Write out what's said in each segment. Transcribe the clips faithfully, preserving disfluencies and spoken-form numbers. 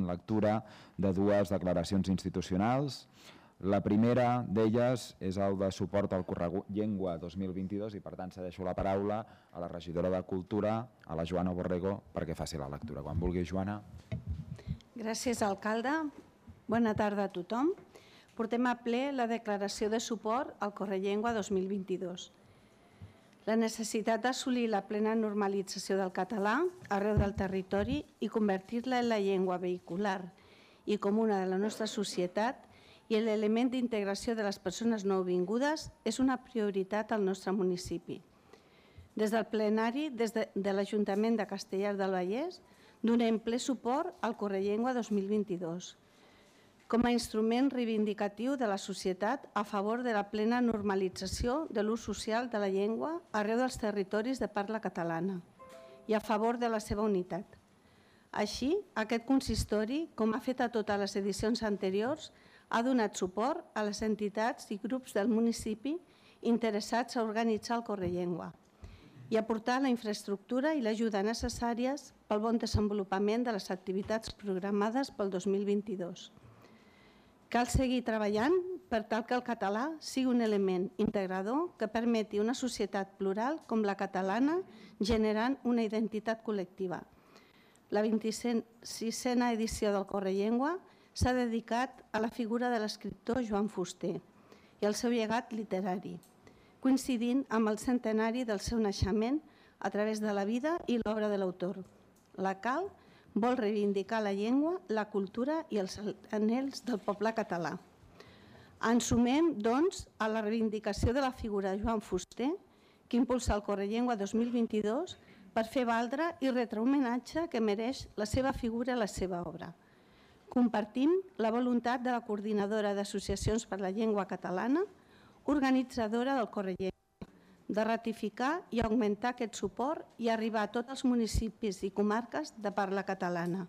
lectura de dues declaracions institucionals. La primera d'elles és el de suport al Correllengua dos mil vint-i-dos i per tant cedeixo la paraula a la regidora de Cultura, a la Joana Borrego, perquè faci la lectura. Quan vulgui, Joana. Gràcies, alcalde. Bona tarda a tothom. Portem a ple la declaració de suport al Correllengua dos mil vint-i-dos. La necessitat d'assolir la plena normalització del català arreu del territori i convertir-la en la llengua vehicular i comuna de la nostra societat i l'element d'integració de les persones nouvingudes és una prioritat al nostre municipi. Des del plenari de l'Ajuntament de Castellar del Vallès donem ple suport al Correllengua dos mil vint-i-dos com a instrument reivindicatiu de la societat a favor de la plena normalització de l'ús social de la llengua arreu dels territoris de parla catalana i a favor de la seva unitat. Així, aquest consistori, com ha fet a totes les edicions anteriors, ha donat suport a les entitats i grups del municipi interessats a organitzar el Correllengua i aportar la infraestructura i l'ajuda necessàries pel bon desenvolupament de les activitats programades pel dos mil vint-i-dos. Cal seguir treballant per tal que el català sigui un element integrador que permeti una societat plural com la catalana generant una identitat col·lectiva. La vint-i-sisena edició del Correllengua s'ha dedicat a la figura de l'escriptor Joan Fuster i al seu llegat literari, coincidint amb el centenari del seu naixement a través de la vida i l'obra de l'autor. La C A L vol reivindicar la llengua, la cultura i els anhels del poble català. Ens sumem, doncs, a la reivindicació de la figura de Joan Fuster, que impulsa el Correllengua dos mil vint-i-dos per fer valdre i retre homenatge que mereix la seva figura i la seva obra. Compartim la voluntat de la Coordinadora d'Associacions per la Llengua Catalana, organitzadora del Correllengua, de ratificar i augmentar aquest suport i arribar a tots els municipis i comarques de parla catalana,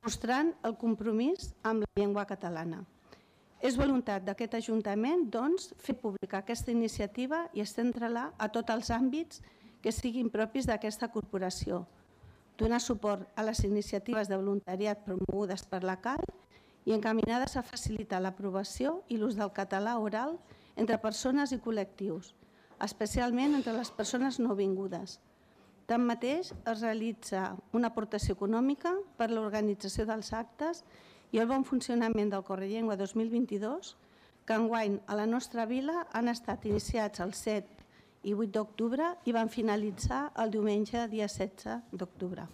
mostrant el compromís amb la llengua catalana. És voluntat d'aquest Ajuntament, doncs, fer pública aquesta iniciativa i estendre-la a tots els àmbits que siguin propis d'aquesta corporació, donar suport a les iniciatives de voluntariat promogudes per la C A L i encaminades a facilitar l'aprovació i l'ús del català oral entre persones i col·lectius, especialment entre les persones nouvingudes. Tanmateix, es realitza una aportació econòmica per a l'organització dels actes i el bon funcionament del Correllengua dos mil vint-i-dos, que enguany a la nostra vila han estat iniciats el set i vuit d'octubre i van finalitzar el diumenge dia setze d'octubre.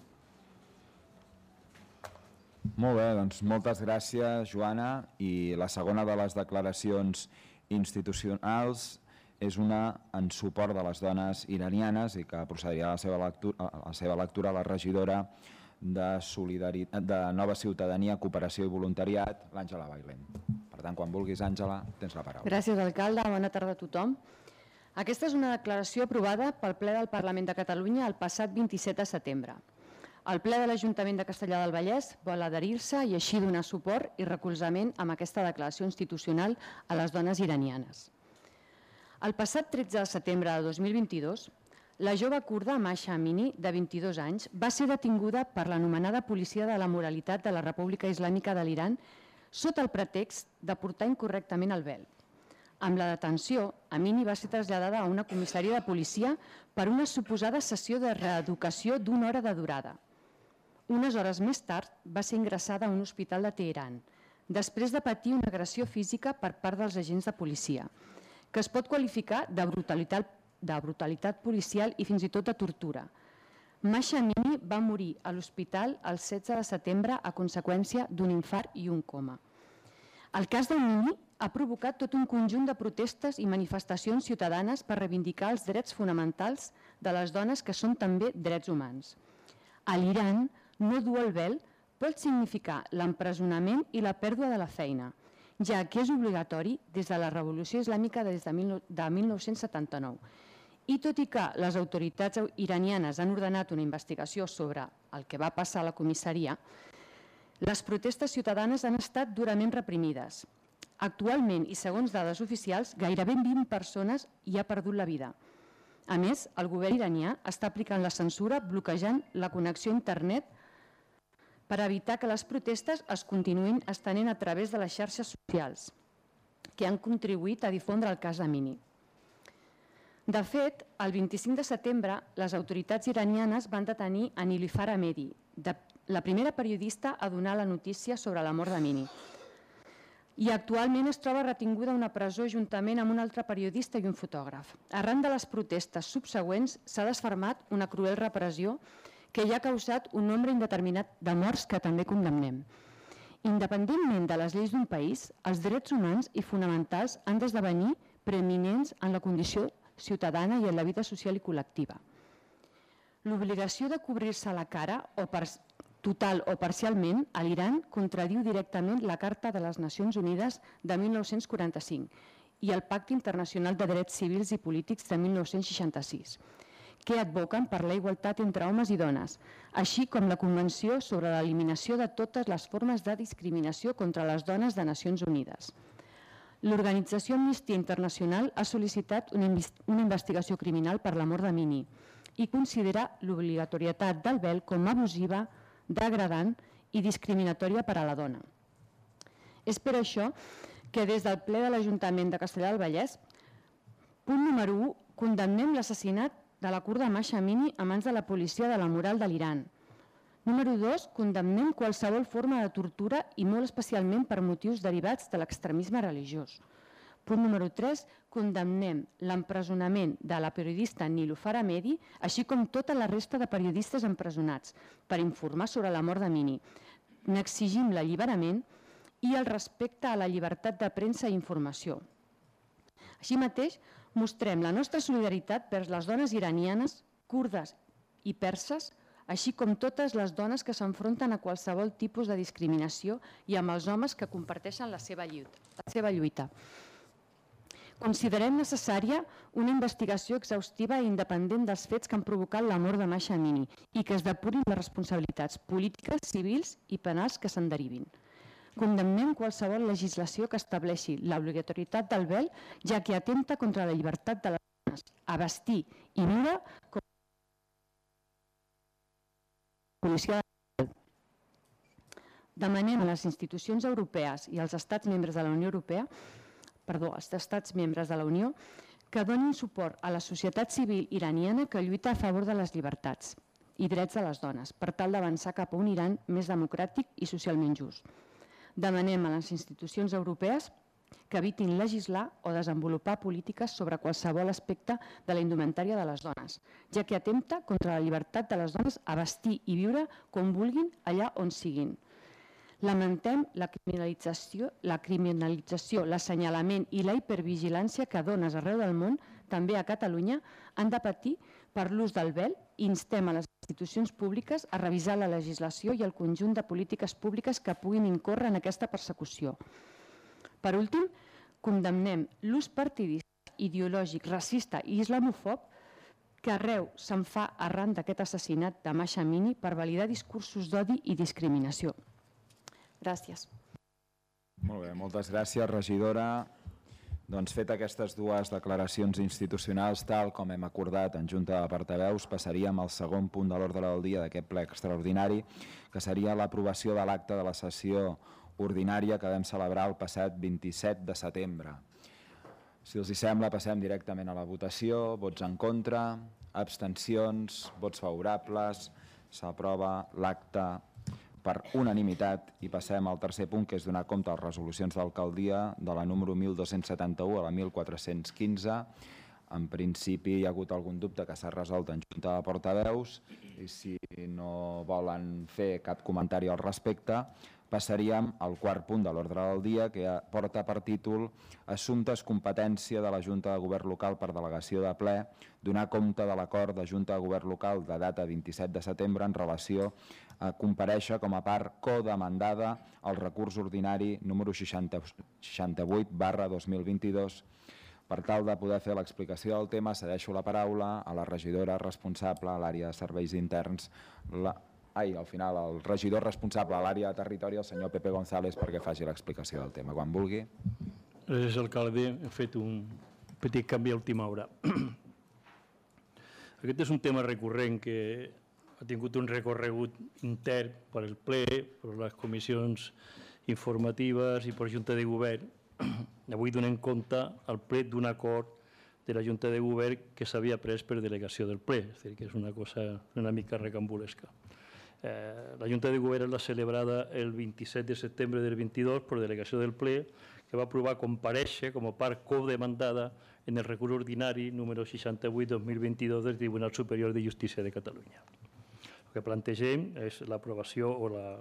Molt bé, doncs moltes gràcies, Joana. I la segona de les declaracions institucionals és una en suport de les dones iranianes i que procedirà a la seva lectura, a la seva lectura a la regidora de, de Nova Ciutadania, Cooperació i Voluntariat, l'Àngela Bailén. Per tant, quan vulguis, Àngela, tens la paraula. Gràcies, alcalde. Bona tarda a tothom. Aquesta és una declaració aprovada pel ple del Parlament de Catalunya el passat vint-i-set de setembre. El ple de l'Ajuntament de Castellar del Vallès vol adherir-se i així donar suport i recolzament amb aquesta declaració institucional a les dones iranianes. El passat tretze de setembre de dos mil vint-i-dos, la jove kurda Mahsa Amini, de vint-i-dos anys, va ser detinguda per l'anomenada Policia de la Moralitat de la República Islàmica de l'Iran sota el pretext de portar incorrectament el vel. Amb la detenció, Amini va ser traslladada a una comissaria de policia per una suposada sessió de reeducació d'una hora de durada. Unes hores més tard va ser ingressada a un hospital de Teheran, després de patir una agressió física per part dels agents de policia, que es pot qualificar de brutalitat, de brutalitat policial i fins i tot de tortura. Mahsa Amini va morir a l'hospital el setze de setembre a conseqüència d'un infart i un coma. El cas d'Amini ha provocat tot un conjunt de protestes i manifestacions ciutadanes per reivindicar els drets fonamentals de les dones que són també drets humans. A l'Iran, no dur el vel pot significar l'empresonament i la pèrdua de la feina, ja que és obligatori des de la Revolució Islàmica des de mil nou-cents setanta-nou. I tot i que les autoritats iranianes han ordenat una investigació sobre el que va passar a la comissaria, les protestes ciutadanes han estat durament reprimides. Actualment, i segons dades oficials, gairebé vint persones hi ha perdut la vida. A més, el govern iranià està aplicant la censura bloquejant la connexió a internet per evitar que les protestes es continuïn estenent a través de les xarxes socials, que han contribuït a difondre el cas de Mini. De fet, el vint-i-cinc de setembre, les autoritats iranianes van detenir a Nilüfer Ahmedi, la primera periodista a donar la notícia sobre la mort de Mini. I actualment es troba retinguda a una presó juntament amb un altre periodista i un fotògraf. Arran de les protestes subsegüents s'ha desfermat una cruel repressió que ja ha causat un nombre indeterminat de morts que també condemnem. Independentment de les lleis d'un país, els drets humans i fonamentals han d'esdevenir preeminents en la condició ciutadana i en la vida social i col·lectiva. L'obligació de cobrir-se la cara, o per total o parcialment, a l'Iran contradiu directament la Carta de les Nacions Unides de mil nou-cents quaranta-cinc i el Pacte Internacional de Drets Civils i Polítics de mil nou-cents seixanta-sis, que advoquen per la igualtat entre homes i dones, així com la Convenció sobre l'eliminació de totes les formes de discriminació contra les dones de Nacions Unides. L'organització Amnistia Internacional ha sol·licitat una investigació criminal per la mort de Mini i considera l'obligatorietat del vel com abusiva, degradant i discriminatòria per a la dona. És per això que des del ple de l'Ajuntament de Castellar del Vallès, punt número u, condemnem l'assassinat de la kurda Mahsa Amini a mans de la policia de la moral de l'Iran. Número dos, condemnem qualsevol forma de tortura i molt especialment per motius derivats de l'extremisme religiós. Punt número tres, condemnem l'empresonament de la periodista Nilüfer Ahmedi, així com tota la resta de periodistes empresonats, per informar sobre la mort de Mini. N'exigim l'alliberament i el respecte a la llibertat de premsa i informació. Així mateix, mostrem la nostra solidaritat vers les dones iranianes, kurdes i perses, així com totes les dones que s'enfronten a qualsevol tipus de discriminació i amb els homes que comparteixen la seva lluita. Considerem necessària una investigació exhaustiva i independent dels fets que han provocat la mort de Mahsa Amini i que es depurin les responsabilitats polítiques, civils i penals que se'n derivin. Condemnem qualsevol legislació que estableixi l'obligatorietat del vel, ja que atempta contra la llibertat de les dones a vestir i viure com a policia de vel. Demanem a les institucions europees i als estats membres de la Unió Europea perdó, als estats membres de la Unió, que donin suport a la societat civil iraniana que lluita a favor de les llibertats i drets de les dones, per tal d'avançar cap a un Iran més democràtic i socialment just. Demanem a les institucions europees que evitin legislar o desenvolupar polítiques sobre qualsevol aspecte de la indumentària de les dones, ja que atempta contra la llibertat de les dones a vestir i viure com vulguin allà on siguin. Lamentem la criminalització, la criminalització, l'assenyalament i la hipervigilància que dones arreu del món, també a Catalunya, han de patir per l'ús del vel i instem a les institucions públiques a revisar la legislació i el conjunt de polítiques públiques que puguin incórrer en aquesta persecució. Per últim, condemnem l'ús partidista, ideològic, racista i islamòfob que arreu se'n fa arran d'aquest assassinat de Mahsa Amini per validar discursos d'odi i discriminació. Gràcies. Molt bé, moltes gràcies, regidora. Doncs fet aquestes dues declaracions institucionals, tal com hem acordat en Junta de Portaveus, passaríem al segon punt de l'ordre del dia d'aquest ple extraordinari, que seria l'aprovació de l'acte de la sessió ordinària que vam celebrar el passat vint-i-set de setembre. Si els hi sembla, passem directament a la votació. Vots en contra, abstencions, vots favorables. S'aprova l'acte per unanimitat i passem al tercer punt, que és donar compte a les resolucions d'alcaldia de la número mil dos-cents setanta-u a la mil quatre-cents quinze. En principi hi ha hagut algun dubte que s'ha resolt en Junta de Portaveus i si no volen fer cap comentari al respecte, passaríem al quart punt de l'ordre del dia, que porta per títol Assumptes competència de la Junta de Govern Local per delegació de ple, donar compte de l'acord de Junta de Govern Local de data vint-i-set de setembre en relació a comparèixer com a part codemandada al recurs ordinari número seixanta-vuit barra dos mil vint-i-dos. Per tal de poder fer l'explicació del tema, cedeixo la paraula a la regidora responsable a l'àrea de serveis interns, la Ai, al final, el regidor responsable a l'àrea de territori, el senyor Pepe González, perquè faci l'explicació del tema, quan vulgui. Gràcies, alcalde. He fet un petit canvi a última hora. Aquest és un tema recurrent que ha tingut un recorregut intern per el ple, per les comissions informatives i per la Junta de Govern. Avui donem compte al ple d'un acord de la Junta de Govern que s'havia pres per delegació del ple, és a dir, que és una cosa una mica recambulesca. Eh, la Junta de Govern l'ha celebrada el vint-i-set de setembre del vint-i-dos per delegació del ple, que va aprovar comparèixer com a part codemandada en el recurs ordinari número seixanta-vuit dos mil vint-i-dos del Tribunal Superior de Justícia de Catalunya. El que plantegem és l'aprovació o, la,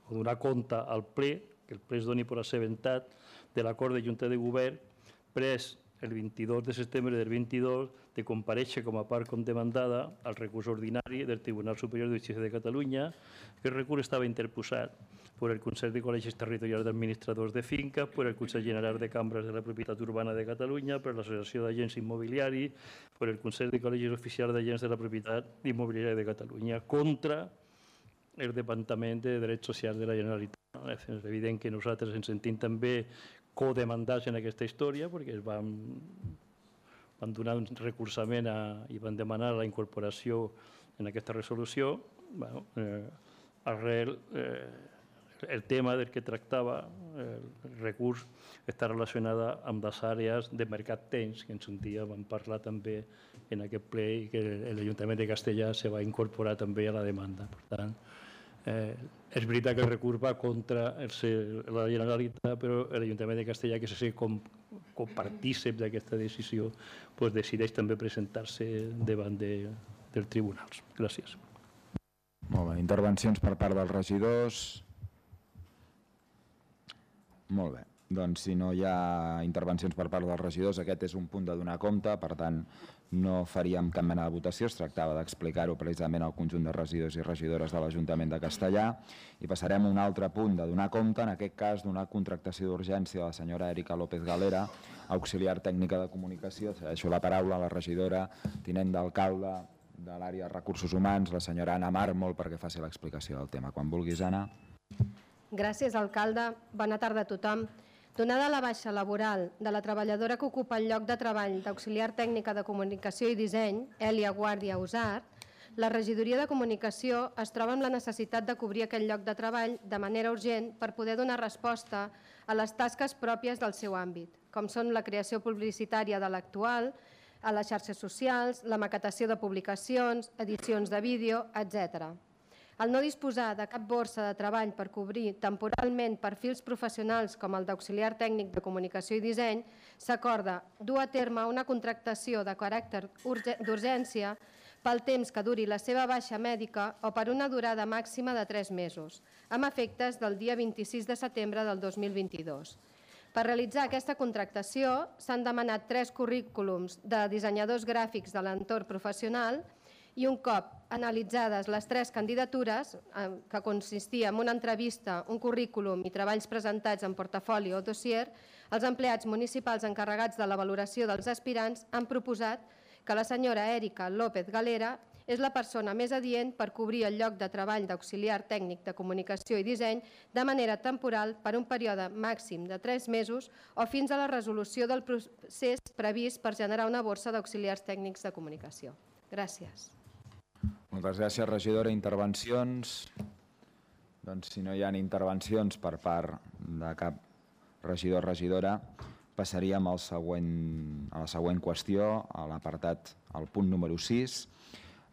o donar compte al ple, que el ple es doni per assabentat de l'acord de Junta de Govern pres el vint-i-dos de setembre del vint-i-dos de comparèixer com a part condemandada al recurs ordinari del Tribunal Superior de Justícia de Catalunya. El recurs estava interposat per el Consell de Col·legis Territorials d'Administradors de Finca, per el Consell General de Cambres de la Propietat Urbana de Catalunya, per l'Associació d'Agents Immobiliaris, per el Consell de Col·legis Oficials d'Agents de la Propietat Immobiliària de Catalunya, contra el Departament de Drets Socials de la Generalitat. És evident que nosaltres ens sentim també codemandats en aquesta història perquè es van, van donar un recursament a, i van demanar la incorporació en aquesta resolució. Bueno, eh, arrel, eh, el tema del que tractava el recurs està relacionada amb les àrees de mercat temps, que en un dia vam parlar també en aquest ple i que l'Ajuntament de Castellar se va incorporar també a la demanda. Per tant, Eh, és veritat que el recurs va contra el, la Generalitat, però l'Ajuntament de Castellar, que se sent com, com partícip d'aquesta decisió, pues decideix també presentar-se davant de, dels tribunals. Gràcies. Molt bé. Intervencions per part dels regidors? Molt bé. Doncs si no hi ha intervencions per part dels regidors, aquest és un punt de donar compte, per tant no faríem cap mena de votació, es tractava d'explicar-ho precisament al conjunt de regidors i regidores de l'Ajuntament de Castellar, i passarem a un altre punt de donar compte, en aquest cas d'una contractació d'urgència de la senyora Erika López Galera, auxiliar tècnica de comunicació. Deixo la paraula a la regidora tinent d'alcalde de l'àrea de recursos humans, la senyora Anna Mármol, perquè faci l'explicació del tema. Quan vulguis, Anna. Gràcies, alcalde. Bona tarda a tothom. Donada la baixa laboral de la treballadora que ocupa el lloc de treball d'auxiliar tècnica de comunicació i disseny, Èlia Guàrdia Usart, la regidoria de comunicació es troba amb la necessitat de cobrir aquest lloc de treball de manera urgent per poder donar resposta a les tasques pròpies del seu àmbit, com són la creació publicitària de l'actual, a les xarxes socials, la maquetació de publicacions, edicions de vídeo, etcètera. Al no disposar de cap borsa de treball per cobrir temporalment perfils professionals com el d'auxiliar tècnic de comunicació i disseny, s'acorda dur a terme una contractació de caràcter d'urgència pel temps que duri la seva baixa mèdica o per una durada màxima de tres mesos, amb efectes del dia vint-i-sis de setembre del dos mil vint-i-dos. Per realitzar aquesta contractació s'han demanat tres currículums de dissenyadors gràfics de l'entorn professional i un cop analitzades les tres candidatures, que consistia en una entrevista, un currículum i treballs presentats en portafoli o dossier, els empleats municipals encarregats de la valoració dels aspirants han proposat que la senyora Erika López Galera és la persona més adient per cobrir el lloc de treball d'auxiliar tècnic de comunicació i disseny de manera temporal per un període màxim de tres mesos o fins a la resolució del procés previst per generar una borsa d'auxiliars tècnics de comunicació. Gràcies. Moltes gràcies, regidora. Intervencions? Doncs si no hi ha intervencions per part de cap regidor o regidora, passaríem al següent, a la següent qüestió, a l'apartat, al punt número sis.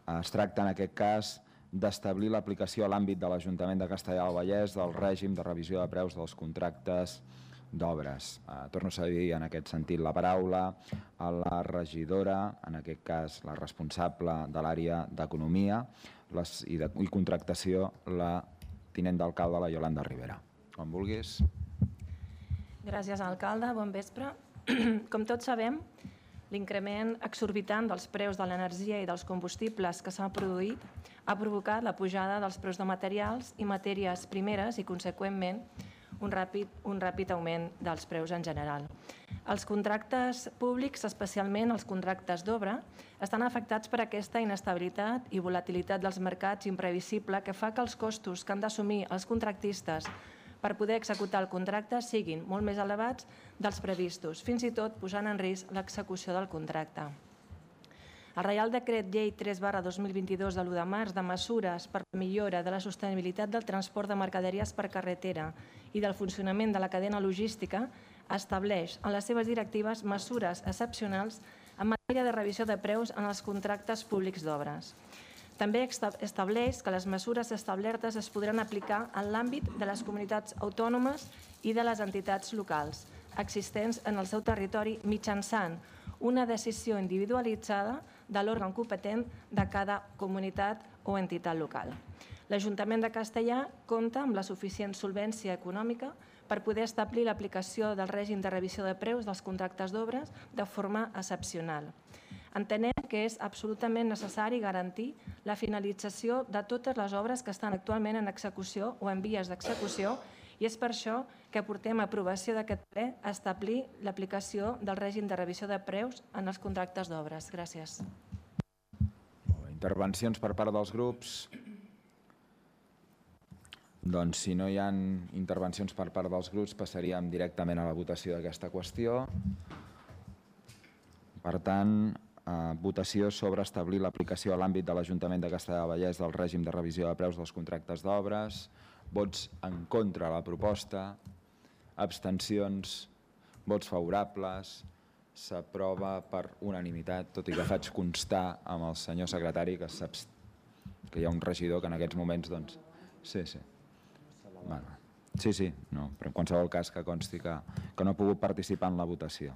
Es tracta en aquest cas d'establir l'aplicació a l'àmbit de l'Ajuntament de Castellar del Vallès del règim de revisió de preus dels contractes d'obres. Eh, torno a cedir en aquest sentit la paraula a la regidora, en aquest cas la responsable de l'àrea d'Economia i, de, i Contractació, la tinent d'alcalde, la Iolanda Rivera. Quan vulguis. Gràcies, alcalde. Bon vespre. Com tots sabem, l'increment exorbitant dels preus de l'energia i dels combustibles que s'ha produït ha provocat la pujada dels preus de materials i matèries primeres i, conseqüentment, un ràpid, un ràpid augment dels preus en general. Els contractes públics, especialment els contractes d'obra, estan afectats per aquesta inestabilitat i volatilitat dels mercats imprevisible que fa que els costos que han d'assumir els contractistes per poder executar el contracte siguin molt més elevats dels previstos, fins i tot posant en risc l'execució del contracte. El Reial Decret Llei tres barra dos mil vint-i-dos de l'u de març de mesures per la millora de la sostenibilitat del transport de mercaderies per carretera i del funcionament de la cadena logística estableix en les seves directives mesures excepcionals en matèria de revisió de preus en els contractes públics d'obres. També estableix que les mesures establertes es podran aplicar en l'àmbit de les comunitats autònomes i de les entitats locals existents en el seu territori mitjançant una decisió individualitzada de l'òrgan competent de cada comunitat o entitat local. L'Ajuntament de Castellar compta amb la suficient solvència econòmica per poder establir l'aplicació del règim de revisió de preus dels contractes d'obres de forma excepcional. Entenem que és absolutament necessari garantir la finalització de totes les obres que estan actualment en execució o en vies d'execució i és per això que portem a aprovació d'aquest ple a establir l'aplicació del règim de revisió de preus en els contractes d'obres. Gràcies. Intervencions per part dels grups? Doncs si no hi ha intervencions per part dels grups passaríem directament a la votació d'aquesta qüestió. Per tant, votació sobre establir l'aplicació a l'àmbit de l'Ajuntament de Castellar del Vallès del règim de revisió de preus dels contractes d'obres. Vots en contra de la proposta, abstencions, vots favorables, s'aprova per unanimitat, tot i que faig constar amb el senyor secretari que, que hi ha un regidor que en aquests moments, doncs, sí, sí. Bueno, sí, sí, no, però en qualsevol cas que consti que, que no ha pogut participar en la votació.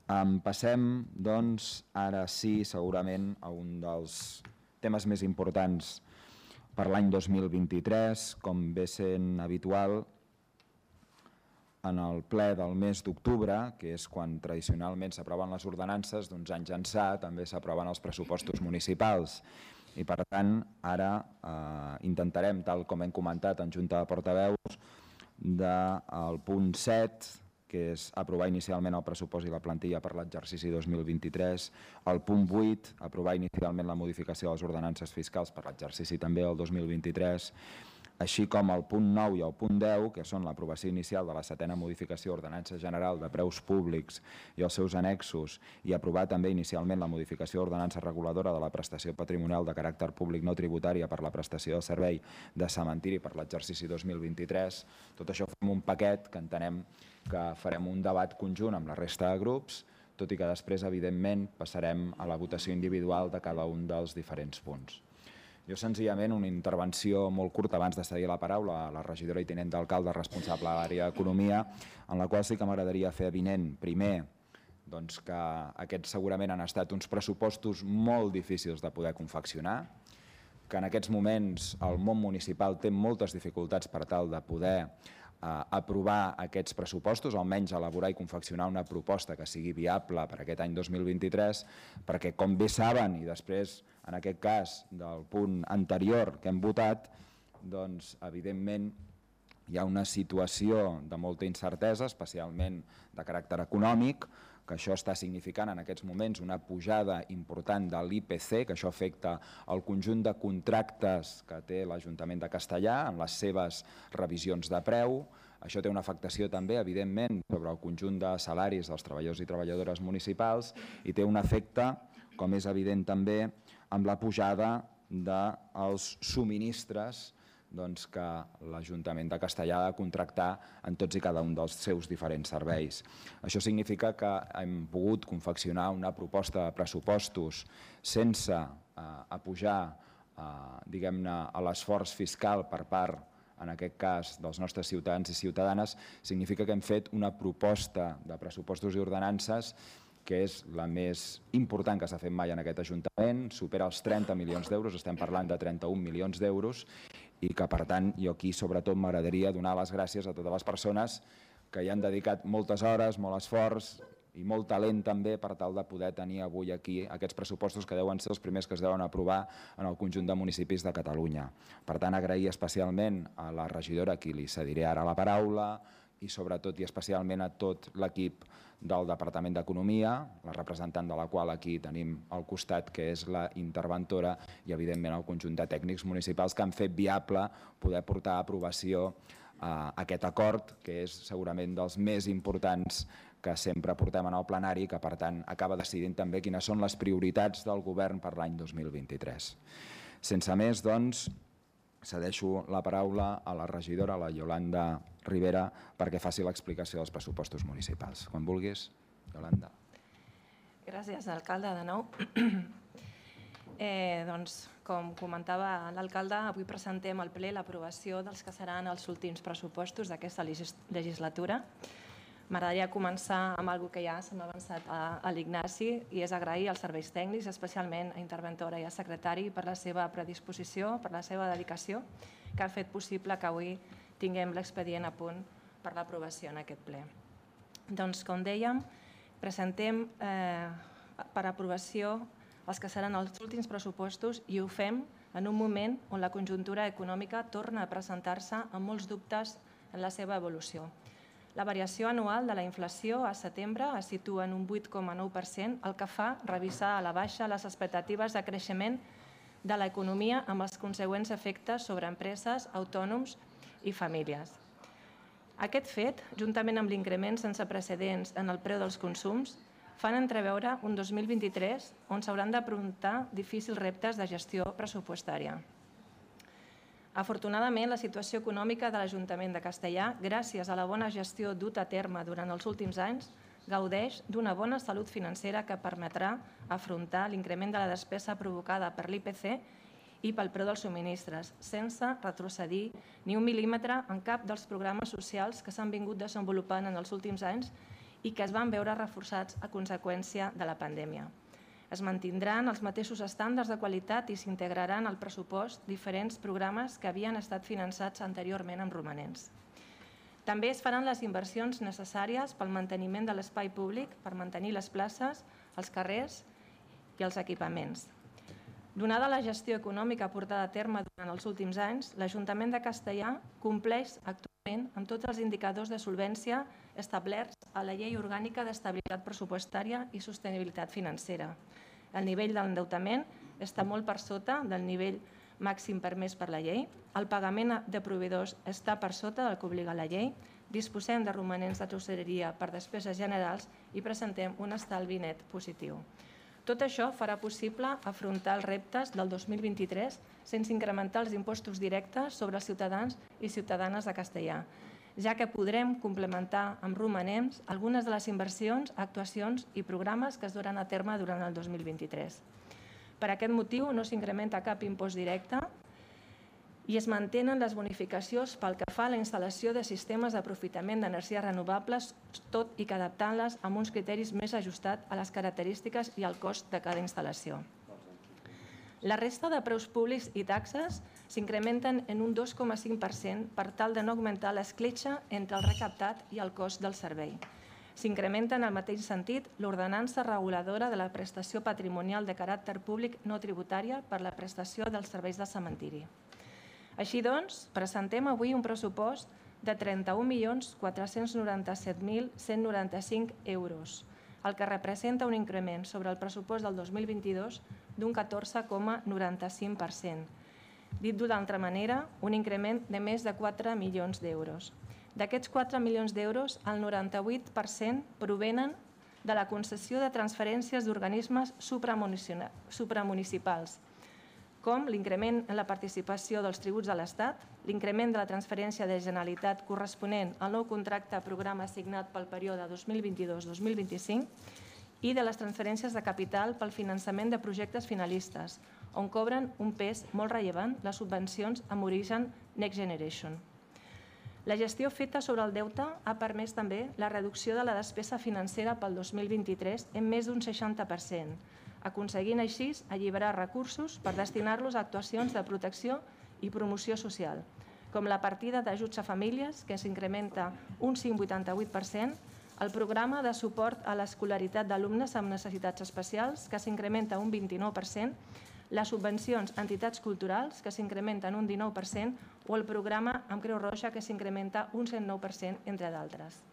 Um, passem, doncs, ara sí, segurament, a un dels temes més importants per l'any dos mil vint-i-tres, com ve sent habitual, en el ple del mes d'octubre, que és quan tradicionalment s'aproven les ordenances, d'uns anys ençà també s'aproven els pressupostos municipals. I per tant, ara eh, intentarem, tal com hem comentat en Junta de Portaveus, del punt set, que és aprovar inicialment el pressupost i la plantilla per l'exercici dos mil vint-i-tres, el punt vuit, aprovar inicialment la modificació de les ordenances fiscals per l'exercici també del dos mil vint-i-tres, així com el punt nou i el punt deu, que són l'aprovació inicial de la setena modificació d'ordenança general de preus públics i els seus annexos, i aprovar també inicialment la modificació d'ordenança reguladora de la prestació patrimonial de caràcter públic no tributària per la prestació del servei de cementiri per l'exercici dos mil vint-i-tres. Tot això fem un paquet que entenem que farem un debat conjunt amb la resta de grups, tot i que després, evidentment, passarem a la votació individual de cada un dels diferents punts. Jo, senzillament, una intervenció molt curta abans de cedir la paraula a la regidora i tinent d'alcalde responsable de l'àrea d'Economia, en la qual sí que m'agradaria fer avinent, primer, doncs que aquests segurament han estat uns pressupostos molt difícils de poder confeccionar, que en aquests moments el món municipal té moltes dificultats per tal de poder aprovar aquests pressupostos, almenys elaborar i confeccionar una proposta que sigui viable per aquest any dos mil vint-i-tres, perquè, com bé saben, i després, en aquest cas, del punt anterior que hem votat, doncs, evidentment, hi ha una situació de molta incertesa, especialment de caràcter econòmic, que això està significant en aquests moments una pujada important de l'I P C, que això afecta el conjunt de contractes que té l'Ajuntament de Castellar en les seves revisions de preu. Això té una afectació també, evidentment, sobre el conjunt de salaris dels treballadors i treballadores municipals i té un efecte, com és evident també, amb la pujada dels subministres que l'Ajuntament de Castellar ha de contractar en tots i cada un dels seus diferents serveis. Això significa que hem pogut confeccionar una proposta de pressupostos sense apujar, diguem-ne, a l'esforç fiscal per part, en aquest cas, dels nostres ciutadans i ciutadanes. Significa que hem fet una proposta de pressupostos i ordenances que és la més important que s'ha fet mai en aquest Ajuntament, supera els trenta milions d'euros, estem parlant de trenta-un milions d'euros, i que, per tant, jo aquí sobretot m'agradaria donar les gràcies a totes les persones que hi han dedicat moltes hores, molt esforç i molt talent també per tal de poder tenir avui aquí aquests pressupostos que deuen ser els primers que es deuen aprovar en el conjunt de municipis de Catalunya. Per tant, agrair especialment a la regidora, a qui li cediré ara la paraula, i sobretot i especialment a tot l'equip del Departament d'Economia, la representant de la qual aquí tenim al costat, que és la interventora, i evidentment el conjunt de tècnics municipals que han fet viable poder portar a aprovació aquest acord, que és segurament dels més importants que sempre portem en el plenari i que, per tant, acaba decidint també quines són les prioritats del govern per l'any dos mil vint-i-tres. Sense més, doncs, cedeixo la paraula a la regidora, la Iolanda Rivera, perquè faci l'explicació dels pressupostos municipals. Quan vulguis, Iolanda. Gràcies, alcalde, de nou. Eh, doncs, com comentava l'alcalde, avui presentem al ple l'aprovació dels que seran els últims pressupostos d'aquesta legislatura. M'agradaria començar amb alguna que ja se m'ha avançat a l'Ignasi, i és agrair als serveis tècnics, especialment a interventora i a secretari, per la seva predisposició, per la seva dedicació, que ha fet possible que avui tinguem l'expedient a punt per l'aprovació en aquest ple. Doncs, com dèiem, presentem per aprovació els que seran els últims pressupostos i ho fem en un moment on la conjuntura econòmica torna a presentar-se amb molts dubtes en la seva evolució. La variació anual de la inflació a setembre es situa en un vuit coma nou per cent, el que fa revisar a la baixa les expectatives de creixement de l'economia amb els consegüents efectes sobre empreses, autònoms i famílies. Aquest fet, juntament amb l'increment sense precedents en el preu dels consums, fan entreveure un dos mil vint-i-tres on s'hauran d'afrontar difícils reptes de gestió pressupostària. Afortunadament, la situació econòmica de l'Ajuntament de Castellar, gràcies a la bona gestió duta a terme durant els últims anys, gaudeix d'una bona salut financera que permetrà afrontar l'increment de la despesa provocada per l'I P C i pel preu dels subministres, sense retrocedir ni un mil·límetre en cap dels programes socials que s'han vingut desenvolupant en els últims anys i que es van veure reforçats a conseqüència de la pandèmia. Es mantindran els mateixos estàndards de qualitat i s'integraran al pressupost diferents programes que havien estat finançats anteriorment amb romanents. També es faran les inversions necessàries pel manteniment de l'espai públic, per mantenir les places, els carrers i els equipaments. Donada la gestió econòmica portada a terme durant els últims anys, l'Ajuntament de Castellar compleix actualment amb tots els indicadors de solvència establerts a la Llei Orgànica d'Estabilitat Pressupostària i Sostenibilitat Financera. El nivell d'endeutament està molt per sota del nivell màxim permès per la llei, el pagament de proveïdors està per sota del que obliga la llei, disposem de romanents de tresoreria per despeses generals i presentem un estalvi net positiu. Tot això farà possible afrontar els reptes del dos mil vint-i-tres sense incrementar els impostos directes sobre els ciutadans i ciutadanes de Castellar, ja que podrem complementar amb romanents algunes de les inversions, actuacions i programes que es duran a terme durant el dos mil vint-i-tres. Per aquest motiu no s'incrementa cap impost directe i es mantenen les bonificacions pel que fa a la instal·lació de sistemes d'aprofitament d'energies renovables, tot i que adaptant-les amb uns criteris més ajustats a les característiques i al cost de cada instal·lació. La resta de preus públics i taxes s'incrementen en un dos coma cinc per cent per tal de no augmentar l'escletxa entre el recaptat i el cost del servei. S'incrementa en el mateix sentit l'ordenança reguladora de la prestació patrimonial de caràcter públic no tributària per la prestació dels serveis de cementiri. Així doncs, presentem avui un pressupost de trenta-un milions quatre-cents noranta-set mil cent noranta-cinc euros, el que representa un increment sobre el pressupost del dos mil vint-i-dos d'un catorze coma noranta-cinc per cent. Dit d'una altra manera, un increment de més de quatre milions d'euros. D'aquests quatre milions d'euros, el noranta-vuit per cent provenen de la concessió de transferències d'organismes supramunicipals, com l'increment en la participació dels tributs de l'Estat, l'increment de la transferència de Generalitat corresponent al nou contracte programa assignat pel període dos mil vint-i-dos dos mil vint-i-cinc i de les transferències de capital pel finançament de projectes finalistes, on cobren un pes molt rellevant les subvencions amb origen Next Generation. La gestió feta sobre el deute ha permès també la reducció de la despesa financera pel dos mil vint-i-tres en més d'un seixanta per cent, aconseguint així alliberar recursos per destinar-los a actuacions de protecció i promoció social, com la partida d'ajuts a famílies, que s'incrementa un cinc coma vuitanta-vuit per cent, el programa de suport a l'escolaritat d'alumnes amb necessitats especials, que s'incrementa un vint-i-nou per cent, les subvencions a entitats culturals, que s'incrementen un dinou per cent, o el programa amb Creu Roja, que s'incrementa un cent nou per cent, entre d'altres.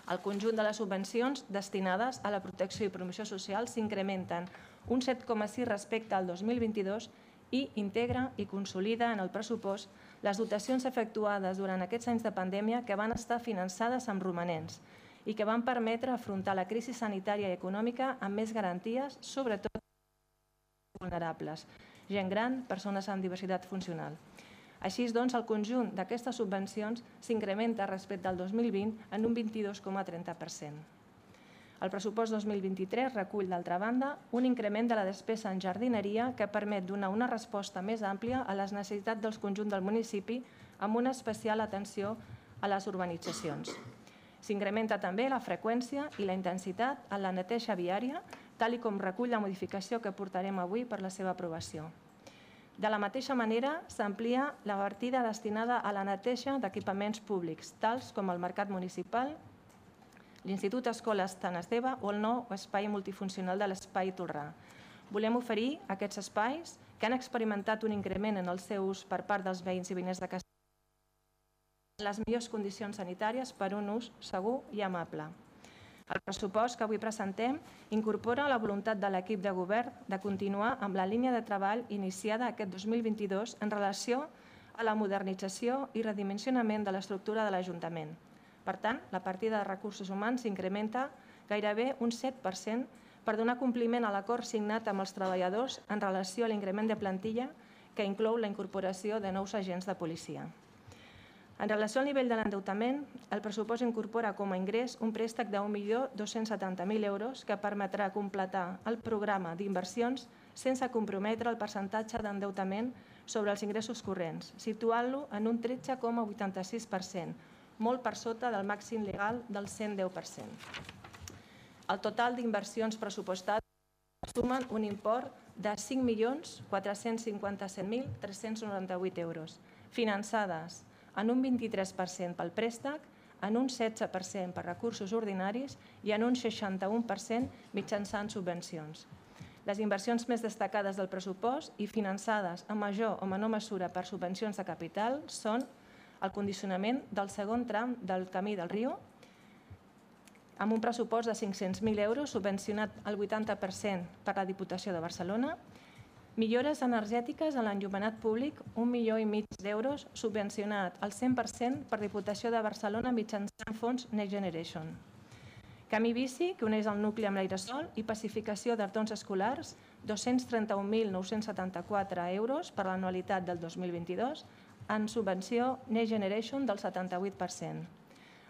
El conjunt de les subvencions destinades a la protecció i promoció social s'incrementen un set coma sis respecte al dos mil vint-i-dos i integra i consolida en el pressupost les dotacions efectuades durant aquests anys de pandèmia que van estar finançades amb romanents i que van permetre afrontar la crisi sanitària i econòmica amb més garanties, sobretot vulnerables, gent gran, persones amb diversitat funcional. Així doncs, el conjunt d'aquestes subvencions s'incrementa respecte al dos mil vint en un vint-i-dos coma trenta per cent. El pressupost dos mil vint-i-tres recull, d'altra banda, un increment de la despesa en jardineria que permet donar una resposta més àmplia a les necessitats del conjunt del municipi amb una especial atenció a les urbanitzacions. S'incrementa també la freqüència i la intensitat en la neteja viària, tal com recull la modificació que portarem avui per la seva aprovació. De la mateixa manera, s'amplia la partida destinada a la neteja d'equipaments públics, tals com el mercat municipal, l'Institut Escola Sant Esteve o el nou espai multifuncional de l'Espai Tolrà. Volem oferir aquests espais que han experimentat un increment en el seu ús per part dels veïns i veïnes de Castellà en les millors condicions sanitàries per un ús segur i amable. El pressupost que avui presentem incorpora la voluntat de l'equip de govern de continuar amb la línia de treball iniciada aquest dos mil vint-i-dos en relació a la modernització i redimensionament de l'estructura de l'Ajuntament. Per tant, la partida de recursos humans s'incrementa gairebé un set per cent per donar compliment a l'acord signat amb els treballadors en relació a l'increment de plantilla que inclou la incorporació de nous agents de policia. En relació al nivell de l'endeutament, el pressupost incorpora com a ingrés un préstec d'un milió dos-cents setanta mil euros que permetrà completar el programa d'inversions sense comprometre el percentatge d'endeutament sobre els ingressos corrents, situant-lo en un tretze coma vuitanta-sis per cent, molt per sota del màxim legal del cent deu per cent. El total d'inversions pressupostades sumen un import de cinc milions quatre-cents cinquanta-set mil tres-cents noranta-vuit euros, finançades en un vint-i-tres per cent pel préstec, en un setze per cent per recursos ordinaris i en un seixanta-u per cent mitjançant subvencions. Les inversions més destacades del pressupost i finançades en major o menor mesura per subvencions de capital són el condicionament del segon tram del Camí del Riu, amb un pressupost de cinc-cents mil euros, subvencionat al vuitanta per cent per la Diputació de Barcelona, millores energètiques en l'enllumenat públic, un milió i mig d'euros, subvencionat al cent per cent per Diputació de Barcelona mitjançant fons Next Generation. Camí bici, que uneix el nucli amb l'aeresol, i pacificació d'artons escolars, dos-cents trenta-un mil nou-cents setanta-quatre euros per l'anualitat del dos mil vint-i-dos, en subvenció Next Generation del setanta-vuit per cent.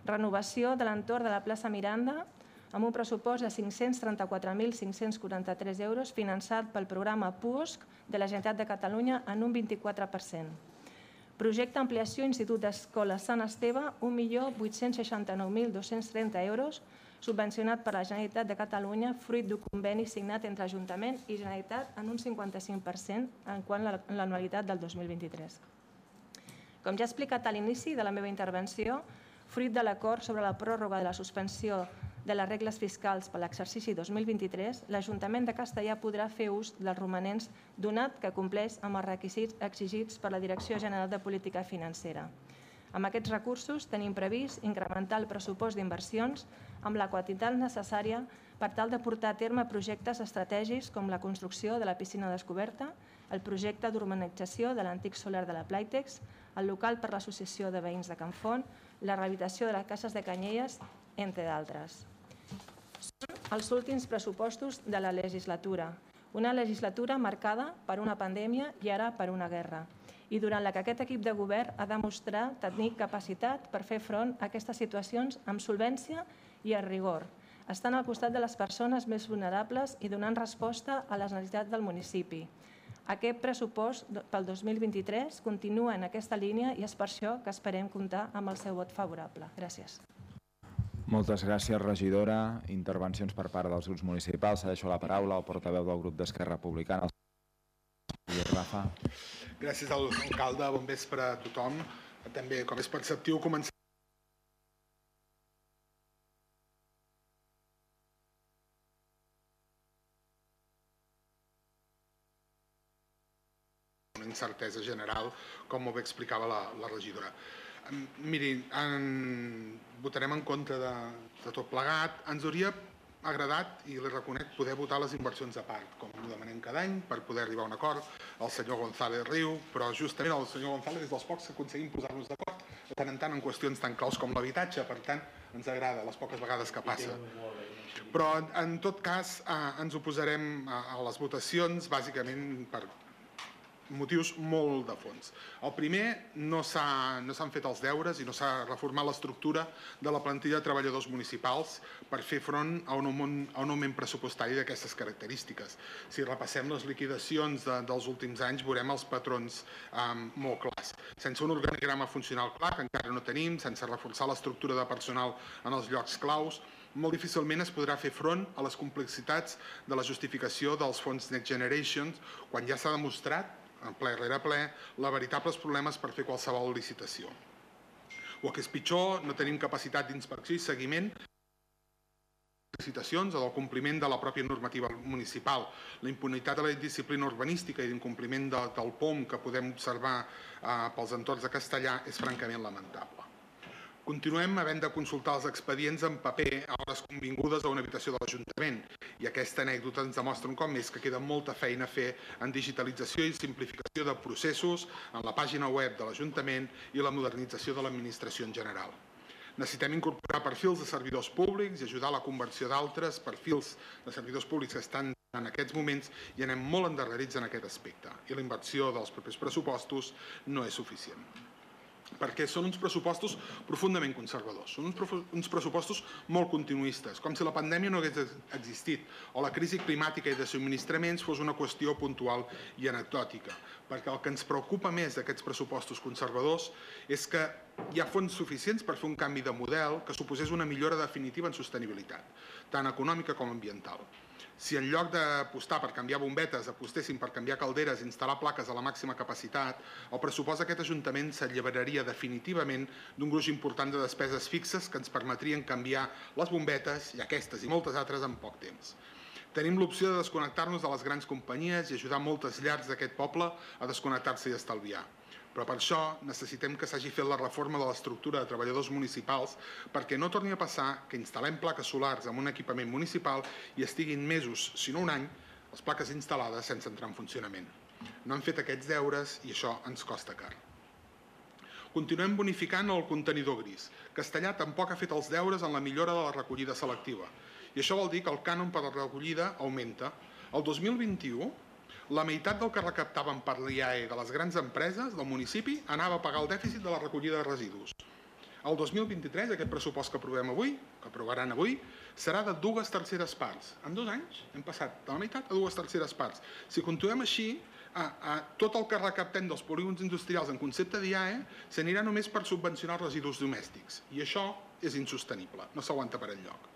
Renovació de l'entorn de la plaça Miranda amb un pressupost de cinc-cents trenta-quatre mil cinc-cents quaranta-tres euros finançat pel programa PUOSC de la Generalitat de Catalunya en un vint-i-quatre per cent. Projecte Ampliació Institut d'Escola Sant Esteve, un milió vuit-cents seixanta-nou mil dos-cents trenta euros, subvencionat per la Generalitat de Catalunya, fruit d'un conveni signat entre Ajuntament i Generalitat en un cinquanta-cinc per cent en quant a l'anualitat del dos mil vint-i-tres. Com ja he explicat a l'inici de la meva intervenció, fruit de l'acord sobre la pròrroga de la suspensió de les regles fiscals per l'exercici dos mil vint-i-tres, l'Ajuntament de Castellà podrà fer ús dels romanents donat que compleix amb els requisits exigits per la Direcció General de Política Financera. Amb aquests recursos tenim previst incrementar el pressupost d'inversions amb la quantitat necessària per tal de portar a terme projectes estratègics com la construcció de la piscina descoberta, el projecte d'urbanització de l'antic solar de la Playtex, el local per l'associació de veïns de Can Font, la rehabilitació de les cases de Canyelles, entre d'altres. Són els últims pressupostos de la legislatura, una legislatura marcada per una pandèmia i ara per una guerra, i durant la que aquest equip de govern ha demostrat tenir capacitat per fer front a aquestes situacions amb solvència i amb rigor, estant al costat de les persones més vulnerables i donant resposta a les necessitats del municipi. Aquest pressupost pel dos mil vint-i-tres continua en aquesta línia i és per això que esperem comptar amb el seu vot favorable. Gràcies. Moltes gràcies, regidora. Intervencions per part dels grups municipals. Cedeixo la paraula al portaveu del grup d'Esquerra Republicana. Rafa. Gràcies, alcalde. Bon vespre a tothom. També, com és perceptiu, començar una incertesa general, com molt bé explicava la, la regidora. Miri, en, votarem en contra de, de tot plegat. Ens hauria agradat, i li reconec, poder votar les inversions a part, com ho demanem cada any, per poder arribar a un acord. El senyor González riu, però justament el senyor González és dels pocs que aconseguim posar-nos d'acord de tant en tant en qüestions tan claus com l'habitatge, per tant, ens agrada les poques vegades que passa. Però, en tot cas, ens oposarem a les votacions, bàsicament per motius molt de fons. El primer, no s'han fet els deures i no s'ha reformat l'estructura de la plantilla de treballadors municipals per fer front a un augment pressupostari d'aquestes característiques. Si repassem les liquidacions dels últims anys, veurem els patrons molt clars. Sense un organigrama funcional clar, que encara no tenim, sense reforçar l'estructura de personal en els llocs claus, molt difícilment es podrà fer front a les complexitats de la justificació dels fons Next Generation, quan ja s'ha demostrat en ple rere ple, la veritables problemes per fer qualsevol licitació. O que és pitjor, no tenim capacitat d'inspecció i seguiment de licitacions o del compliment de la pròpia normativa municipal. La impunitat de la disciplina urbanística i d'incompliment del P O M que podem observar pels entorns de Castellà és francament lamentable. Continuem havent de consultar els expedients en paper a hores convingudes a una habitació de l'Ajuntament i aquesta anècdota ens demostra un cop més que queda molta feina a fer en digitalització i simplificació de processos en la pàgina web de l'Ajuntament i la modernització de l'administració en general. Necessitem incorporar perfils de servidors públics i ajudar a la conversió d'altres perfils de servidors públics que estan en aquests moments i anem molt endarrerits en aquest aspecte i la inversió dels propers pressupostos no és suficient. Perquè són uns pressupostos profundament conservadors, són uns pressupostos molt continuistes, com si la pandèmia no hagués existit o la crisi climàtica i de subministraments fos una qüestió puntual i anecdòtica, perquè el que ens preocupa més d'aquests pressupostos conservadors és que hi ha fons suficients per fer un canvi de model que suposés una millora definitiva en sostenibilitat, tant econòmica com ambiental. Si en lloc d'apostar per canviar bombetes apostessin per canviar calderes i instal·lar plaques a la màxima capacitat, el pressupost d'aquest Ajuntament s'alliberaria definitivament d'un gruix important de despeses fixes que ens permetrien canviar les bombetes i aquestes i moltes altres en poc temps. Tenim l'opció de desconnectar-nos de les grans companyies i ajudar moltes llars d'aquest poble a desconnectar-se i estalviar. Però per això necessitem que s'hagi fet la reforma de l'estructura de treballadors municipals perquè no torni a passar que instal·lem plaques solars en un equipament municipal i estiguin mesos, si no un any, les plaques instal·lades sense entrar en funcionament. No han fet aquests deures i això ens costa car. Continuem bonificant el contenidor gris. Castellà tampoc ha fet els deures en la millora de la recollida selectiva. I això vol dir que el cànon per la recollida augmenta. El dos mil vint-i-u, la meitat del que recaptaven per l'I A E de les grans empreses del municipi anava a pagar el dèficit de la recollida de residus. El dos mil vint-i-tres, aquest pressupost que aprovem avui, que aprovaran avui, serà de dues terceres parts. En dos anys hem passat de la meitat a dues terceres parts. Si continuem així, tot el que recaptem dels polígons industrials en concepte d'I A E s'anirà només per subvencionar els residus domèstics. I això és insostenible, no s'aguanta per enlloc.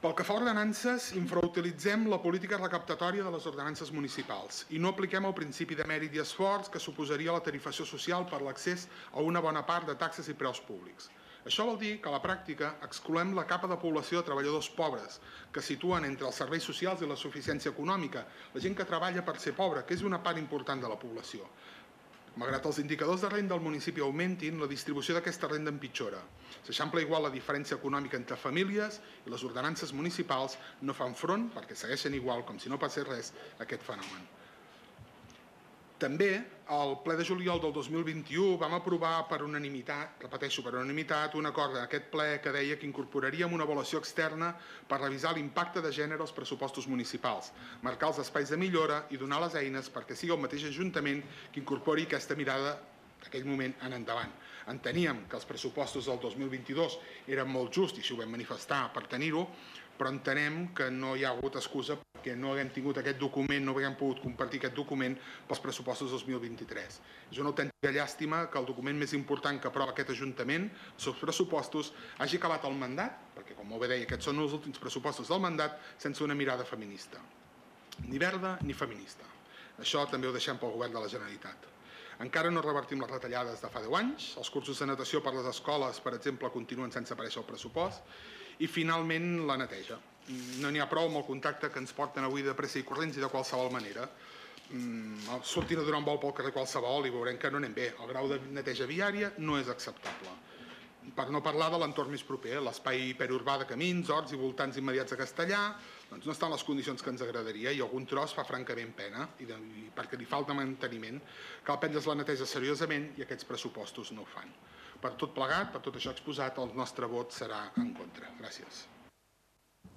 Pel que fa a ordenances, infrautilitzem la política recaptatòria de les ordenances municipals i no apliquem el principi de mèrit i esforç que suposaria la tarifació social per l'accés a una bona part de taxes i preus públics. Això vol dir que a la pràctica excloem la capa de població de treballadors pobres que situen entre els serveis socials i la suficiència econòmica, la gent que treballa per ser pobra, que és una part important de la població. Malgrat els indicadors de renda del municipi augmentin, la distribució d'aquesta renda empitjora. S'eixampla igual la diferència econòmica entre famílies i les ordenances municipals no fan front, perquè segueixen igual, com si no passés res, a aquest fenomen. També, al ple de juliol del dos mil vint-i-u, vam aprovar per unanimitat, repeteixo, per unanimitat, un acord en aquest ple que deia que incorporaríem una avaluació externa per revisar l'impacte de gènere als pressupostos municipals, marcar els espais de millora i donar les eines perquè sigui el mateix Ajuntament que incorpori aquesta mirada d'aquell moment en endavant. Enteníem que els pressupostos del dos mil vint-i-dos eren molt justs i així ho vam manifestar per tenir-ho, però entenem que no hi ha hagut excusa perquè no haguem tingut aquest document, no haguem pogut compartir aquest document pels pressupostos dos mil vint-i-tres. És una autèntica llàstima que el document més important que aprova aquest Ajuntament, els seus pressupostos, hagi acabat el mandat, perquè com molt bé deia, aquests són els últims pressupostos del mandat, sense una mirada feminista. Ni verda ni feminista. Això també ho deixem pel govern de la Generalitat. Encara no revertim les retallades de fa deu anys, els cursos de natació per les escoles, per exemple, continuen sense aparèixer al pressupost, i finalment la neteja. No n'hi ha prou amb el contacte que ens porten avui de pressa i corrents i de qualsevol manera. Sortint a donar un vol pel carrer qualsevol i veurem que no anem bé. El grau de neteja viària no és acceptable. Per no parlar de l'entorn més proper, l'espai hiperurbà de Camins, Horts i voltants immediats a Castellà, doncs no estan en les condicions que ens agradaria i algun tros fa francament pena, i de, i perquè li falta manteniment. Cal prendre's la neteja seriosament i aquests pressupostos no ho fan. Per tot plegat, per tot això exposat, el nostre vot serà en contra. Gràcies.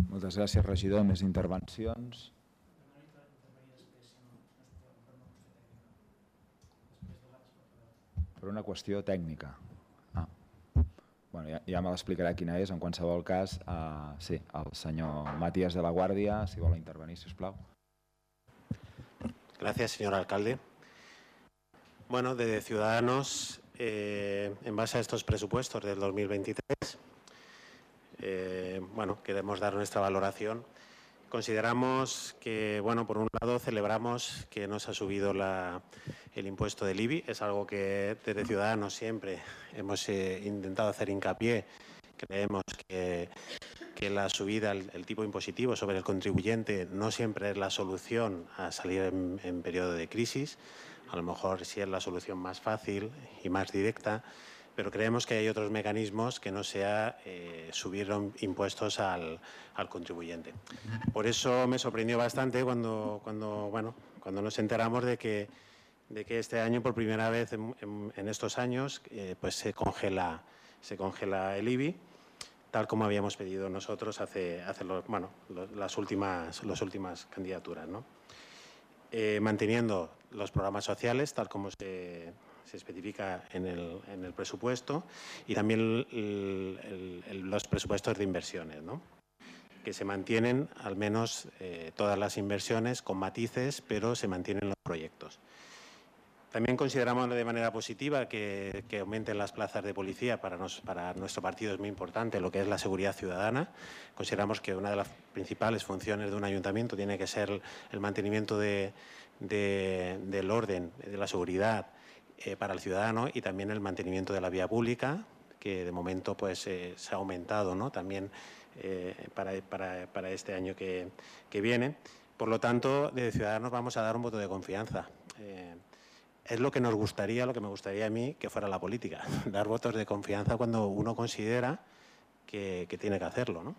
Moltes gràcies, regidor. Més intervencions? Per una qüestió tècnica. Ah. Bueno, ja, ja me l'explicarà quina és. En qualsevol cas, eh, sí, el senyor Matías de la Guardia, si vol intervenir, si us plau. Gracias, señor alcalde. Bueno, de Ciudadanos, eh, en base a estos presupuestos del dos mil veintitrés, eh, bueno, queremos dar nuestra valoración. Consideramos que, bueno, por un lado celebramos que no se ha subido la, el impuesto del I B I, es algo que desde Ciudadanos siempre hemos eh, intentado hacer hincapié. Creemos que, que la subida, el, el tipo impositivo sobre el contribuyente no siempre es la solución a salir en, en periodo de crisis. A lo mejor sí es la solución más fácil y más directa, pero creemos que hay otros mecanismos que no sea eh, subir impuestos al, al contribuyente. Por eso me sorprendió bastante cuando, cuando, bueno, cuando nos enteramos de que, de que este año, por primera vez en, en, en estos años, eh, pues se congela, se congela el I B I, tal como habíamos pedido nosotros hace, hace los, bueno, los, las, últimas, las últimas candidaturas, ¿no? Eh, manteniendo los programas sociales, tal como se... se especifica en el, en el presupuesto, y también el, el, el, los presupuestos de inversiones, ¿no? Que se mantienen al menos eh, todas las inversiones con matices, pero se mantienen los proyectos. También consideramos de manera positiva que, que aumenten las plazas de policía. Para, nos, para nuestro partido es muy importante lo que es la seguridad ciudadana. Consideramos que una de las principales funciones de un ayuntamiento tiene que ser el mantenimiento de, de, del orden, de la seguridad, Eh, para el ciudadano, y también el mantenimiento de la vía pública, que de momento pues eh, se ha aumentado, ¿no? También eh, para, para, para este año que, que viene. Por lo tanto, de Ciudadanos vamos a dar un voto de confianza. Eh, es lo que nos gustaría, lo que me gustaría a mí que fuera la política, dar votos de confianza cuando uno considera que, que tiene que hacerlo, ¿no?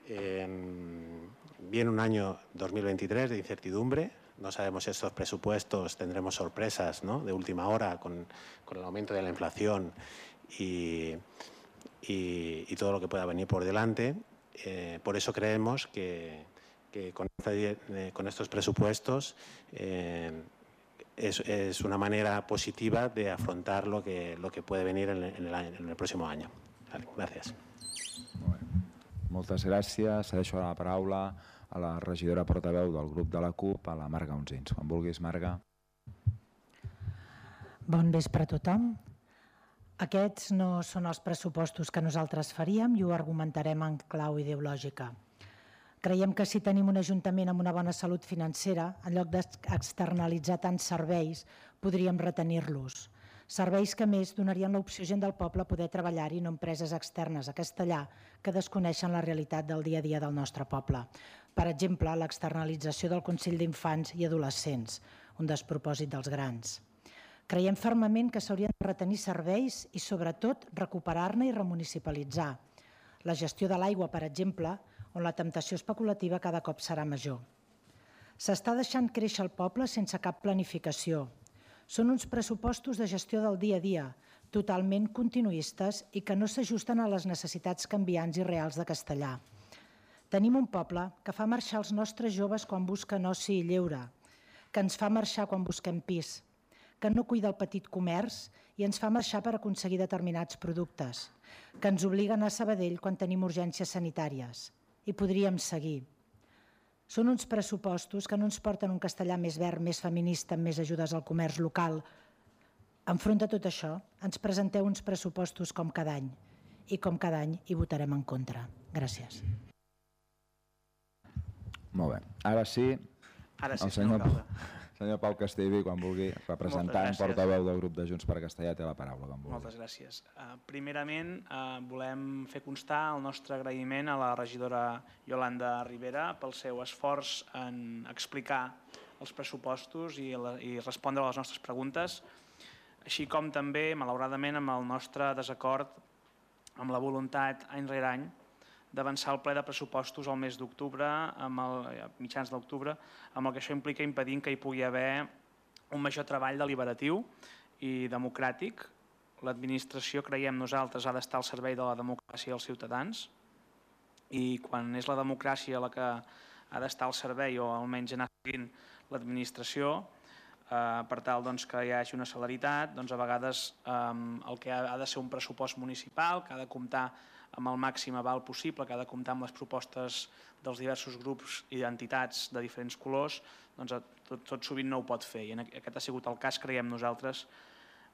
Eh, viene un año dos mil veintitrés de incertidumbre. No sabemos si estos presupuestos tendremos sorpresas, ¿no?, de última hora con, con el aumento de la inflación y, y, y todo lo que pueda venir por delante. Eh, por eso creemos que, que con, esta, eh, con estos presupuestos eh, es, es una manera positiva de afrontar lo que, lo que puede venir en el, en el, en el próximo año. Vale, gràcies. Molt bé. Moltes gràcies. Cedeixo la paraula a la regidora portaveu del grup de la CUP, a la Marga Unsins. Quan vulguis, Marga. Bon vespre a tothom. Aquests no són els pressupostos que nosaltres faríem i ho argumentarem en clau ideològica. Creiem que si tenim un ajuntament amb una bona salut financera, en lloc d'externalitzar tants serveis, podríem retenir-los. Serveis que, més, donarien l'opció a gent del poble a poder treballar-hi, no empreses externes a Castellà que desconeixen la realitat del dia a dia del nostre poble. Per exemple, l'externalització del Consell d'Infants i Adolescents, un despropòsit dels grans. Creiem fermament que s'haurien de retenir serveis i, sobretot, recuperar-ne i remunicipalitzar. La gestió de l'aigua, per exemple, on la temptació especulativa cada cop serà major. S'està deixant créixer el poble sense cap planificació. Són uns pressupostos de gestió del dia a dia, totalment continuistes i que no s'ajusten a les necessitats canviants i reals de Castellà. Tenim un poble que fa marxar els nostres joves quan busquen oci i lleure, que ens fa marxar quan busquem pis, que no cuida el petit comerç i ens fa marxar per aconseguir determinats productes, que ens obliga a anar a Sabadell quan tenim urgències sanitàries. I podríem seguir. Són uns pressupostos que no ens porten un Castellà més verd, més feminista, amb més ajudes al comerç local. Enfront de tot això, ens presenteu uns pressupostos com cada any i com cada any hi votarem en contra. Gràcies. Molt bé. Ara sí, Ara sí, el senyor, senyor Pau Castellví, quan vulgui, representant, portaveu del grup de Junts per Castellà, té la paraula. Quan vulgui. Moltes gràcies. Uh, primerament, uh, volem fer constar el nostre agraïment a la regidora Yolanda Rivera pel seu esforç en explicar els pressupostos i, la, i respondre a les nostres preguntes, així com també, malauradament, amb el nostre desacord amb la voluntat any rere any d'avançar el ple de pressupostos al mes d'octubre, a mitjans d'octubre, amb el que això implica impedint que hi pugui haver un major treball deliberatiu i democràtic. L'administració, creiem nosaltres, ha d'estar al servei de la democràcia dels ciutadans i quan és la democràcia la que ha d'estar al servei o almenys anar seguint l'administració, per tal que hi hagi una celeritat, doncs a vegades el que ha de ser un pressupost municipal, que ha de comptar amb el màxim aval possible, que ha de comptar amb les propostes dels diversos grups i entitats de diferents colors, doncs tot sovint no ho pot fer. I aquest ha sigut el cas, creiem nosaltres,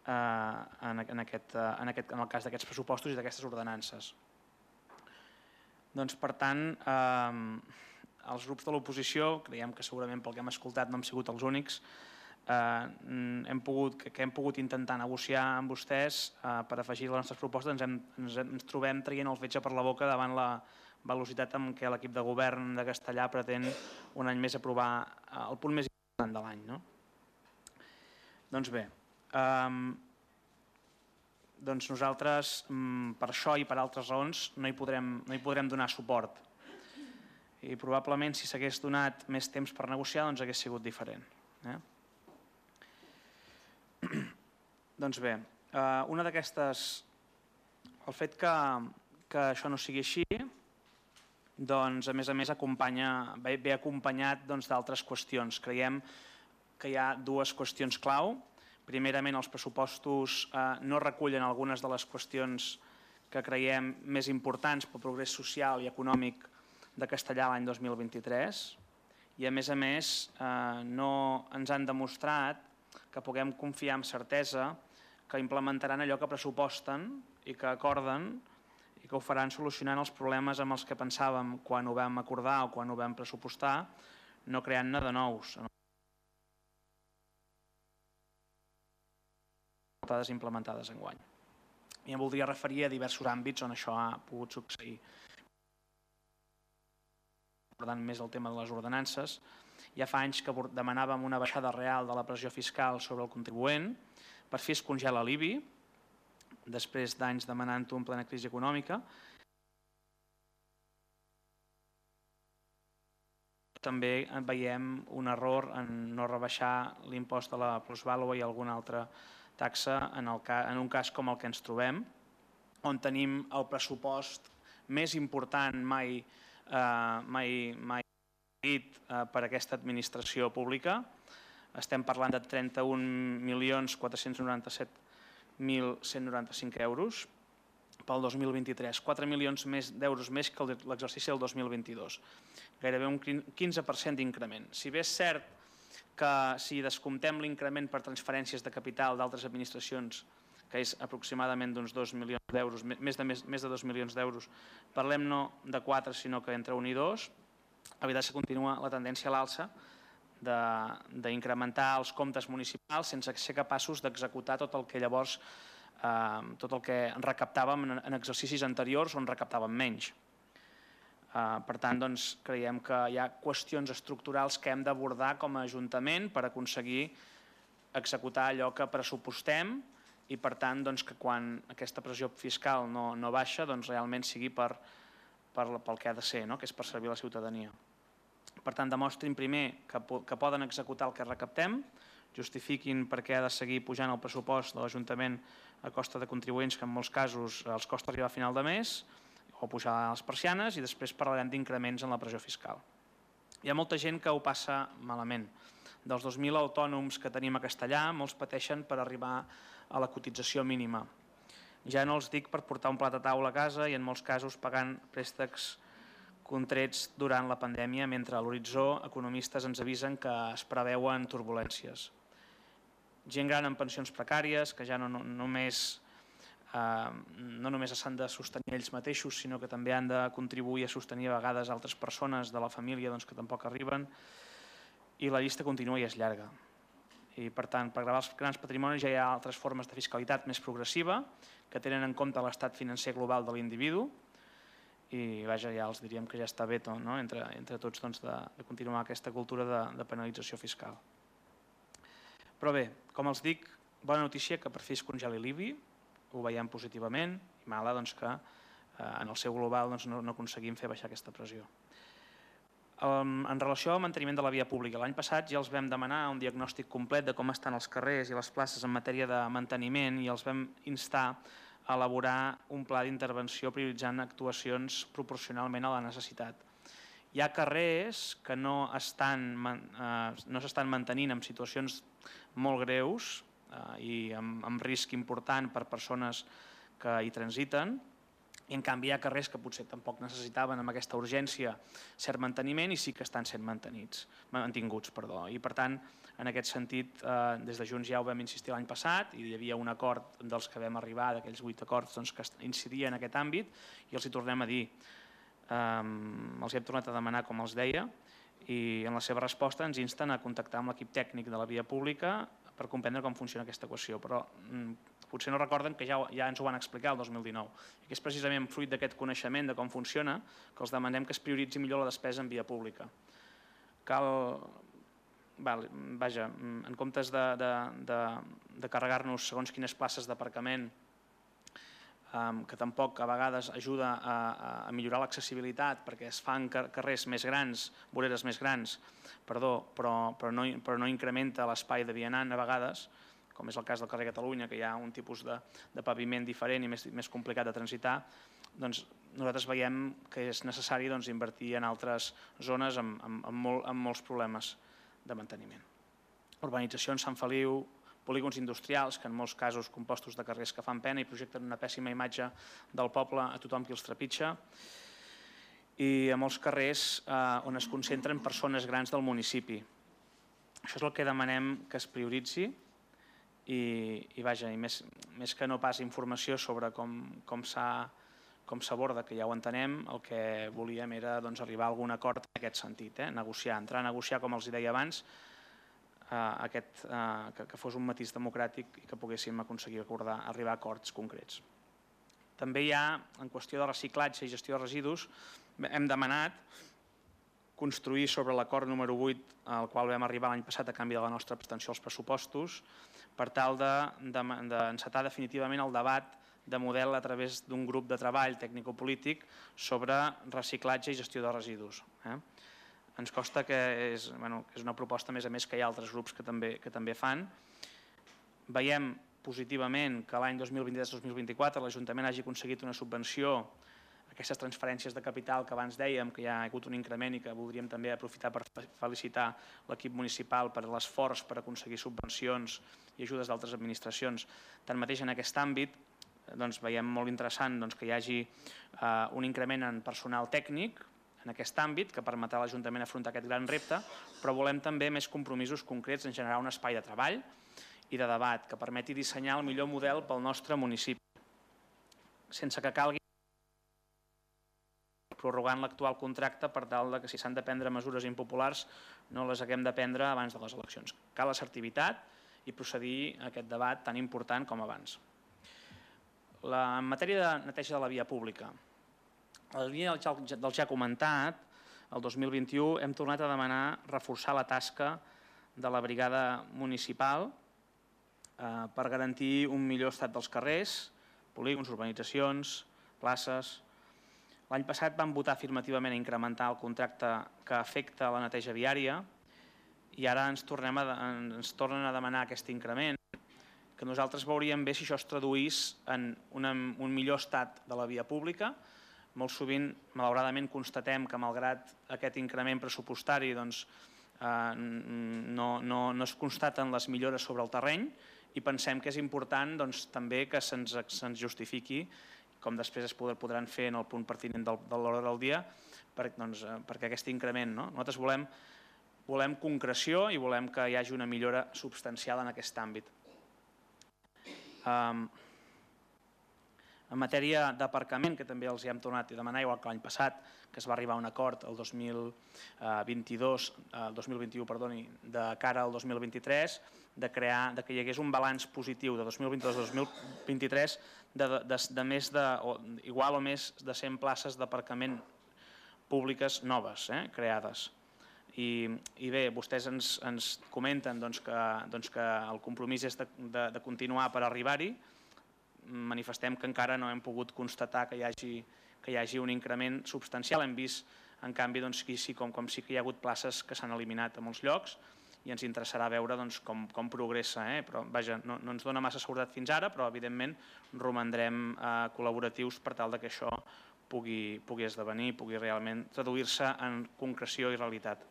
en el cas d'aquests pressupostos i d'aquestes ordenances. Doncs, per tant, els grups de l'oposició, creiem que segurament pel que hem escoltat no hem sigut els únics, que hem pogut intentar negociar amb vostès per afegir les nostres propostes, ens trobem traient el fetge per la boca davant la velocitat amb què l'equip de govern de Castellà pretén un any més aprovar el punt més important de l'any. Doncs bé, nosaltres per això i per altres raons no hi podrem donar suport. I probablement si s'hagués donat més temps per negociar doncs hagués sigut diferent. Doncs bé, una d'aquestes, el fet que això no sigui així, doncs a més a més ve acompanyat d'altres qüestions. Creiem que hi ha dues qüestions clau. Primerament, els pressupostos no recullen algunes de les qüestions que creiem més importants pel progrés social i econòmic de Castellà l'any dos mil vint-i-tres i a més a més no ens han demostrat que puguem confiar amb certesa que implementaran allò que pressuposten i que acorden i que ho faran solucionant els problemes amb els que pensàvem quan ho vam acordar o quan ho vam pressupostar, no creant-ne de nous. Implementades enguany. I em voldria referir a diversos àmbits on això ha pogut succeir. Per tant, més el tema de les ordenances. Ja fa anys que demanàvem una baixada real de la pressió fiscal sobre el contribuent per fi es congela l'I B I, després d'anys demanant-ho en plena crisi econòmica. També veiem un error en no rebaixar l'impost de la plusvàlua i alguna altra taxa en un cas com el que ens trobem, on tenim el pressupost més important mai dit per aquesta administració pública. Estem parlant de trenta-un milions quatre-cents noranta-set mil cent noranta-cinc euros pel dos mil vint-i-tres, quatre milions d'euros més que l'exercici del dos mil vint-i-dos, gairebé un quinze per cent d'increment. Si bé és cert que si descomptem l'increment per transferències de capital d'altres administracions, que és aproximadament d'uns dos milions d'euros, més de dos milions d'euros, parlem no de quatre, sinó que entre un i dos, la veritat és que continua la tendència a l'alça d'incrementar els comptes municipals sense ser capaços d'executar tot el que llavors tot el que recaptàvem en exercicis anteriors on recaptàvem menys. Per tant, creiem que hi ha qüestions estructurals que hem d'abordar com a Ajuntament per aconseguir executar allò que pressupostem i, per tant, que quan aquesta pressió fiscal no baixa, realment sigui pel que ha de ser, que és per servir a la ciutadania. Per tant, demostrin primer que poden executar el que recaptem, justifiquin per què ha de seguir pujant el pressupost de l'Ajuntament a costa de contribuents que en molts casos els costa arribar a final de mes, o pujar les persianes, i després parlarem d'increments en la pressió fiscal. Hi ha molta gent que ho passa malament. Dels dos mil autònoms que tenim a Castellà, molts pateixen per arribar a la cotització mínima. Ja no els dic per portar un plat a taula a casa i en molts casos pagant préstecs contrets durant la pandèmia, mentre a l'horitzó economistes ens avisen que es preveuen turbulències. Gent gran amb pensions precàries, que ja no només no només s'han de sostenir ells mateixos, sinó que també han de contribuir a sostenir a vegades altres persones de la família que tampoc arriben, i la llista continua i és llarga. I, per tant, per gravar els grans patrimonis ja hi ha altres formes de fiscalitat més progressiva que tenen en compte l'estat financer global de l'individu i, vaja, ja els diríem que ja està bé entre tots de continuar aquesta cultura de penalització fiscal. Però bé, com els dic, bona notícia que per fi es congeli l'I B I, ho veiem positivament i mala doncs, que en el seu global doncs, no, no aconseguim fer baixar aquesta pressió. En relació al manteniment de la via pública, l'any passat ja els vam demanar un diagnòstic complet de com estan els carrers i les places en matèria de manteniment i els vam instar a elaborar un pla d'intervenció prioritzant actuacions proporcionalment a la necessitat. Hi ha carrers que no estan, eh, no s'estan mantenint en situacions molt greus eh, i amb, amb risc important per persones que hi transiten, i en canvi hi ha carrers que potser tampoc necessitaven amb aquesta urgència cert manteniment i sí que estan sent mantenits, mantinguts. Perdó. I per tant, en aquest sentit, eh, des de Junts ja ho vam insistir l'any passat i hi havia un acord dels que vam arribar, d'aquells vuit acords doncs, que incidien en aquest àmbit i els hi tornem a dir. Um, els hem tornat a demanar, com els deia, i en la seva resposta ens insten a contactar amb l'equip tècnic de la via pública per comprendre com funciona aquesta equació, però um, potser no recorden que ja, ja ens ho van explicar el dos mil dinou, i que és precisament fruit d'aquest coneixement de com funciona que els demanem que es prioritzi millor la despesa en via pública. Cal, val, vaja, en comptes de, de, de, de carregar-nos segons quines places d'aparcament, que tampoc a vegades ajuda a, a millorar l'accessibilitat perquè es fan carrers més grans, voreres més grans, perdó, però, però, no, però no incrementa l'espai de vianant a vegades, com és el cas del carrer Catalunya, que hi ha un tipus de, de paviment diferent i més, més complicat de transitar, doncs nosaltres veiem que és necessari doncs, invertir en altres zones amb, amb, amb, molt, amb molts problemes de manteniment. Urbanitzacions, Sant Feliu, polígons industrials, que en molts casos compostos de carrers que fan pena i projecten una pèssima imatge del poble a tothom qui els trepitja, i a molts carrers eh, on es concentren persones grans del municipi. Això és el que demanem que es prioritzi i, i vaja, i més, més que no pas informació sobre com, com s'aborda, que ja ho entenem, el que volíem era doncs, arribar a algun acord en aquest sentit, eh? negociar, entrar a negociar, com els deia abans, Aquest, uh, que, que fos un matís democràtic i que poguéssim aconseguir acordar, arribar a acords concrets. També hi ha, en qüestió de reciclatge i gestió de residus, hem demanat construir sobre l'acord número vuit al qual vam arribar l'any passat a canvi de la nostra abstenció als pressupostos per tal d'encetar de, de, definitivament el debat de model a través d'un grup de treball tècnico-polític sobre reciclatge i gestió de residus. Eh? Ens costa que és, bueno, que és una proposta, a més a més, que hi ha altres grups que també, que també fan. Veiem positivament que l'any dos mil vint-i-tres dos mil vint-i-quatre l'Ajuntament hagi aconseguit una subvenció, aquestes transferències de capital que abans dèiem, que hi ha hagut un increment i que voldríem també aprofitar per felicitar l'equip municipal per l'esforç per aconseguir subvencions i ajudes d'altres administracions. Tanmateix, en aquest àmbit, doncs, veiem molt interessant doncs, que hi hagi eh, un increment en personal tècnic, en aquest àmbit, que permetrà a l'Ajuntament afrontar aquest gran repte, però volem també més compromisos concrets en generar un espai de treball i de debat que permeti dissenyar el millor model pel nostre municipi, sense que calgui prorrogant l'actual contracte per tal que si s'han de prendre mesures impopulars no les haguem de prendre abans de les eleccions. Cal assertivitat i procedir a aquest debat tan important com abans. La, en matèria de neteja de la via pública, a la línia del ja comentat, el dos mil vint-i-u hem tornat a demanar reforçar la tasca de la brigada municipal eh, per garantir un millor estat dels carrers, polígons, urbanitzacions, places. L'any passat vam votar afirmativament a incrementar el contracte que afecta la neteja viària i ara ens, tornem a, ens tornen a demanar aquest increment, que nosaltres veuríem bé si això es traduís en una, un millor estat de la via pública. Molt sovint, malauradament, constatem que malgrat aquest increment pressupostari doncs, eh, no, no, no es constaten les millores sobre el terreny i pensem que és important doncs, també que se'ns se justifiqui, com després es podran fer en el punt pertinent del, de l'hora del dia, per, doncs, perquè aquest increment. No? Nosaltres volem, volem concreció i volem que hi hagi una millora substancial en aquest àmbit. Um, En matèria d'aparcament, que també els hi hem tornat a demanar, igual que l'any passat, que es va arribar a un acord el dos mil vint-i-dos, el dos mil vint-i-u, perdoni, de cara al dos mil vint-i-tres, de crear, de que hi hagués un balanç positiu de dos mil vint-i-dos a dos mil vint-i-tres de, de, de més de, o, igual o més de cent places d'aparcament públiques noves, eh, creades. I, i bé, vostès ens, ens comenten doncs, que, doncs, que el compromís és de, de, de continuar per arribar-hi. manifestem que encara no hem pogut constatar que hi hagi, que hi hagi un increment substancial. Hem vist, en canvi, doncs, que sí, com, com sí que hi ha hagut places que s'han eliminat a molts llocs i ens interessarà veure doncs, com, com progressa. Eh? Però, vaja, no, no ens dona massa seguretat fins ara, però evidentment romandrem eh, col·laboratius per tal de que això pugui, pugui esdevenir, pugui realment traduir-se en concreció i realitat.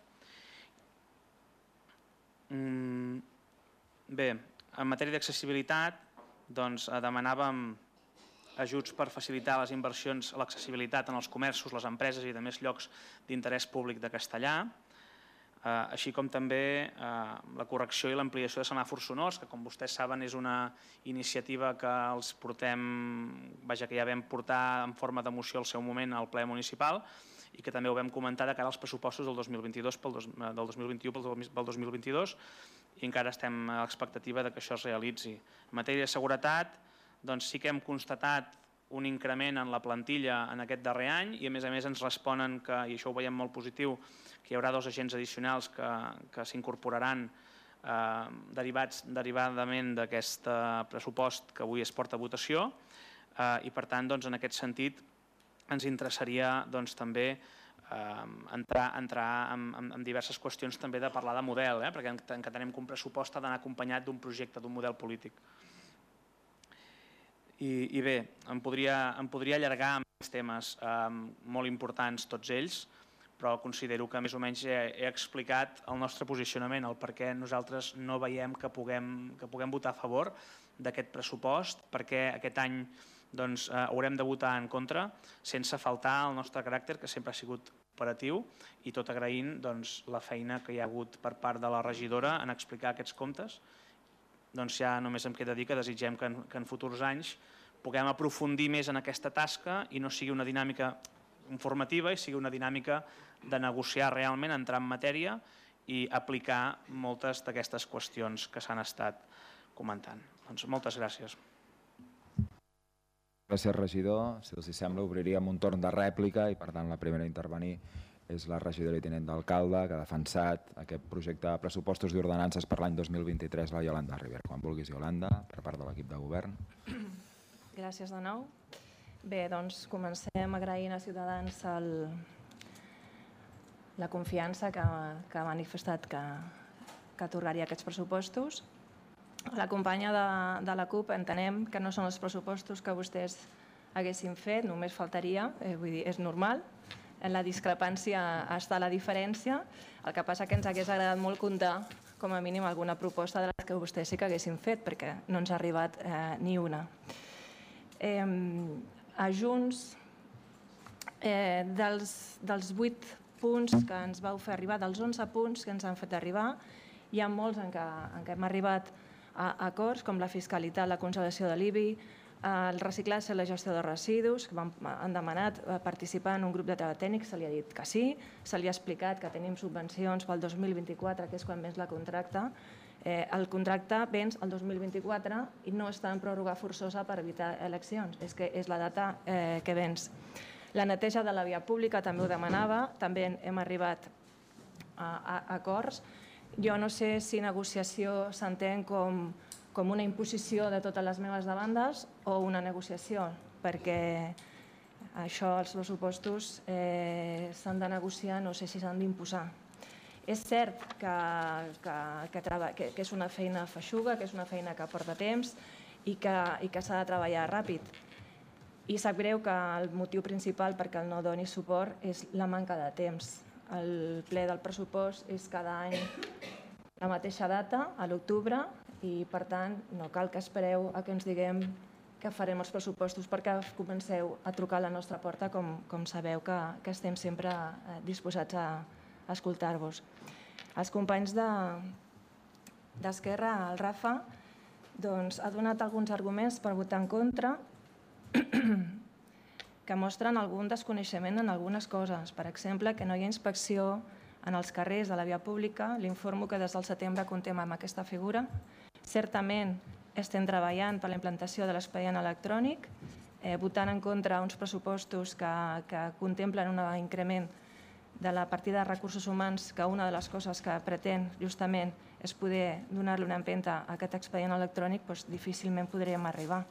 Mm, bé, en matèria d'accessibilitat, doncs, demanàvem ajuts per facilitar les inversions a l'accessibilitat en els comerços, les empreses i de més llocs d'interès públic de Castellà, així com també la correcció i l'ampliació de semàfors sonors, que com vostès saben és una iniciativa que els portem, vaja, que ja vam portar en forma de moció al seu moment al ple municipal i que també ho vam comentar de cara als pressupostos del dos mil vint-i-dos, del dos mil vint-i-u pel dos mil vint-i-dos, i encara estem a l'expectativa que això es realitzi. En matèria de seguretat, doncs sí que hem constatat un increment en la plantilla en aquest darrer any i a més a més ens responen que, i això ho veiem molt positiu, que hi haurà dos agents addicionals que, que s'incorporaran eh, derivats derivadament d'aquest pressupost que avui es porta a votació eh, i per tant doncs, en aquest sentit ens interessaria doncs, també eh, entrar, entrar en, en, en diverses qüestions també de parlar de model, eh, perquè entenem que un pressupost ha d'anar acompanyat d'un projecte, d'un model polític. I, i bé, em podria, em podria allargar amb aquests temes eh, molt importants tots ells, però considero que més o menys he, he explicat el nostre posicionament, el per què nosaltres no veiem que puguem, que puguem votar a favor d'aquest pressupost, perquè aquest any doncs, eh, haurem de votar en contra sense faltar el nostre caràcter, que sempre ha sigut operatiu, i tot agraint doncs, la feina que hi ha hagut per part de la regidora en explicar aquests comptes. Doncs ja només em queda dir que desitgem que en, que en futurs anys puguem aprofundir més en aquesta tasca i no sigui una dinàmica informativa i sigui una dinàmica de negociar realment, entrar en matèria i aplicar moltes d'aquestes qüestions que s'han estat comentant. Doncs moltes gràcies. Gràcies, regidor. Si els sembla, obriríem un torn de rèplica i, per tant, la primera a intervenir és la regidora i tinent d'alcalde que ha defensat aquest projecte de pressupostos i ordenances per l'any dos mil vint-i-tres, la Iolanda Ribera. Quan vulguis, Iolanda, per part de l'equip de govern. Gràcies de nou. Bé, doncs comencem agraint a Ciutadans el, la confiança que, que ha manifestat que, que atorgaria aquests pressupostos. A la companya de, de la CUP entenem que no són els pressupostos que vostès haguessin fet, només faltaria, eh, vull dir, és normal. En la discrepància està la diferència. El que passa que ens hagués agradat molt comptar com a mínim alguna proposta de les que vostès sí que haguessin fet, perquè no ens ha arribat eh, ni una. Eh, a Junts, eh, dels, dels vuit punts que ens vau fer arribar, dels onze punts que ens han fet arribar, hi ha molts en què, en què hem arribat a acords, com la fiscalitat, la congelació de l'I B I, el reciclatge i la gestió de residus, que han demanat participar en un grup de treball tècnic, se li ha dit que sí, se li ha explicat que tenim subvencions pel dos mil vint-i-quatre, que és quan vens la contracte. Eh, el contracte vens el dos mil vint-i-quatre i no està en pròrroga forçosa per evitar eleccions, és que és la data eh, que vens. La neteja de la via pública també ho demanava, també hem arribat a, a acords. Jo no sé si negociació s'entén com com una imposició de totes les meves demandes o una negociació, perquè això, els pressupostos, eh, s'han de negociar, no sé si s'han d'imposar. És cert que, que, que, que, que és una feina feixuga, que és una feina que porta temps i que, i que s'ha de treballar ràpid. I sap greu que el motiu principal perquè el no doni suport és la manca de temps. El ple del pressupost és cada any la mateixa data, a l'octubre, i per tant no cal que espereu a que ens diguem que farem els pressupostos perquè comenceu a trucar a la nostra porta, com, com sabeu que, que estem sempre disposats a, a escoltar-vos. Els companys d'Esquerra, de, el Rafa, doncs, ha donat alguns arguments per votar en contra que mostren algun desconeixement en algunes coses. Per exemple, que no hi ha inspecció en els carrers de la via pública. L'informo que des del setembre comptem amb aquesta figura. Certament estem treballant per la implantació de l'expedient electrònic, eh, votant en contra uns pressupostos que, que contemplen un increment de la partida de recursos humans, que una de les coses que pretén justament és poder donar-li una empenta a aquest expedient electrònic, doncs difícilment podríem arribar.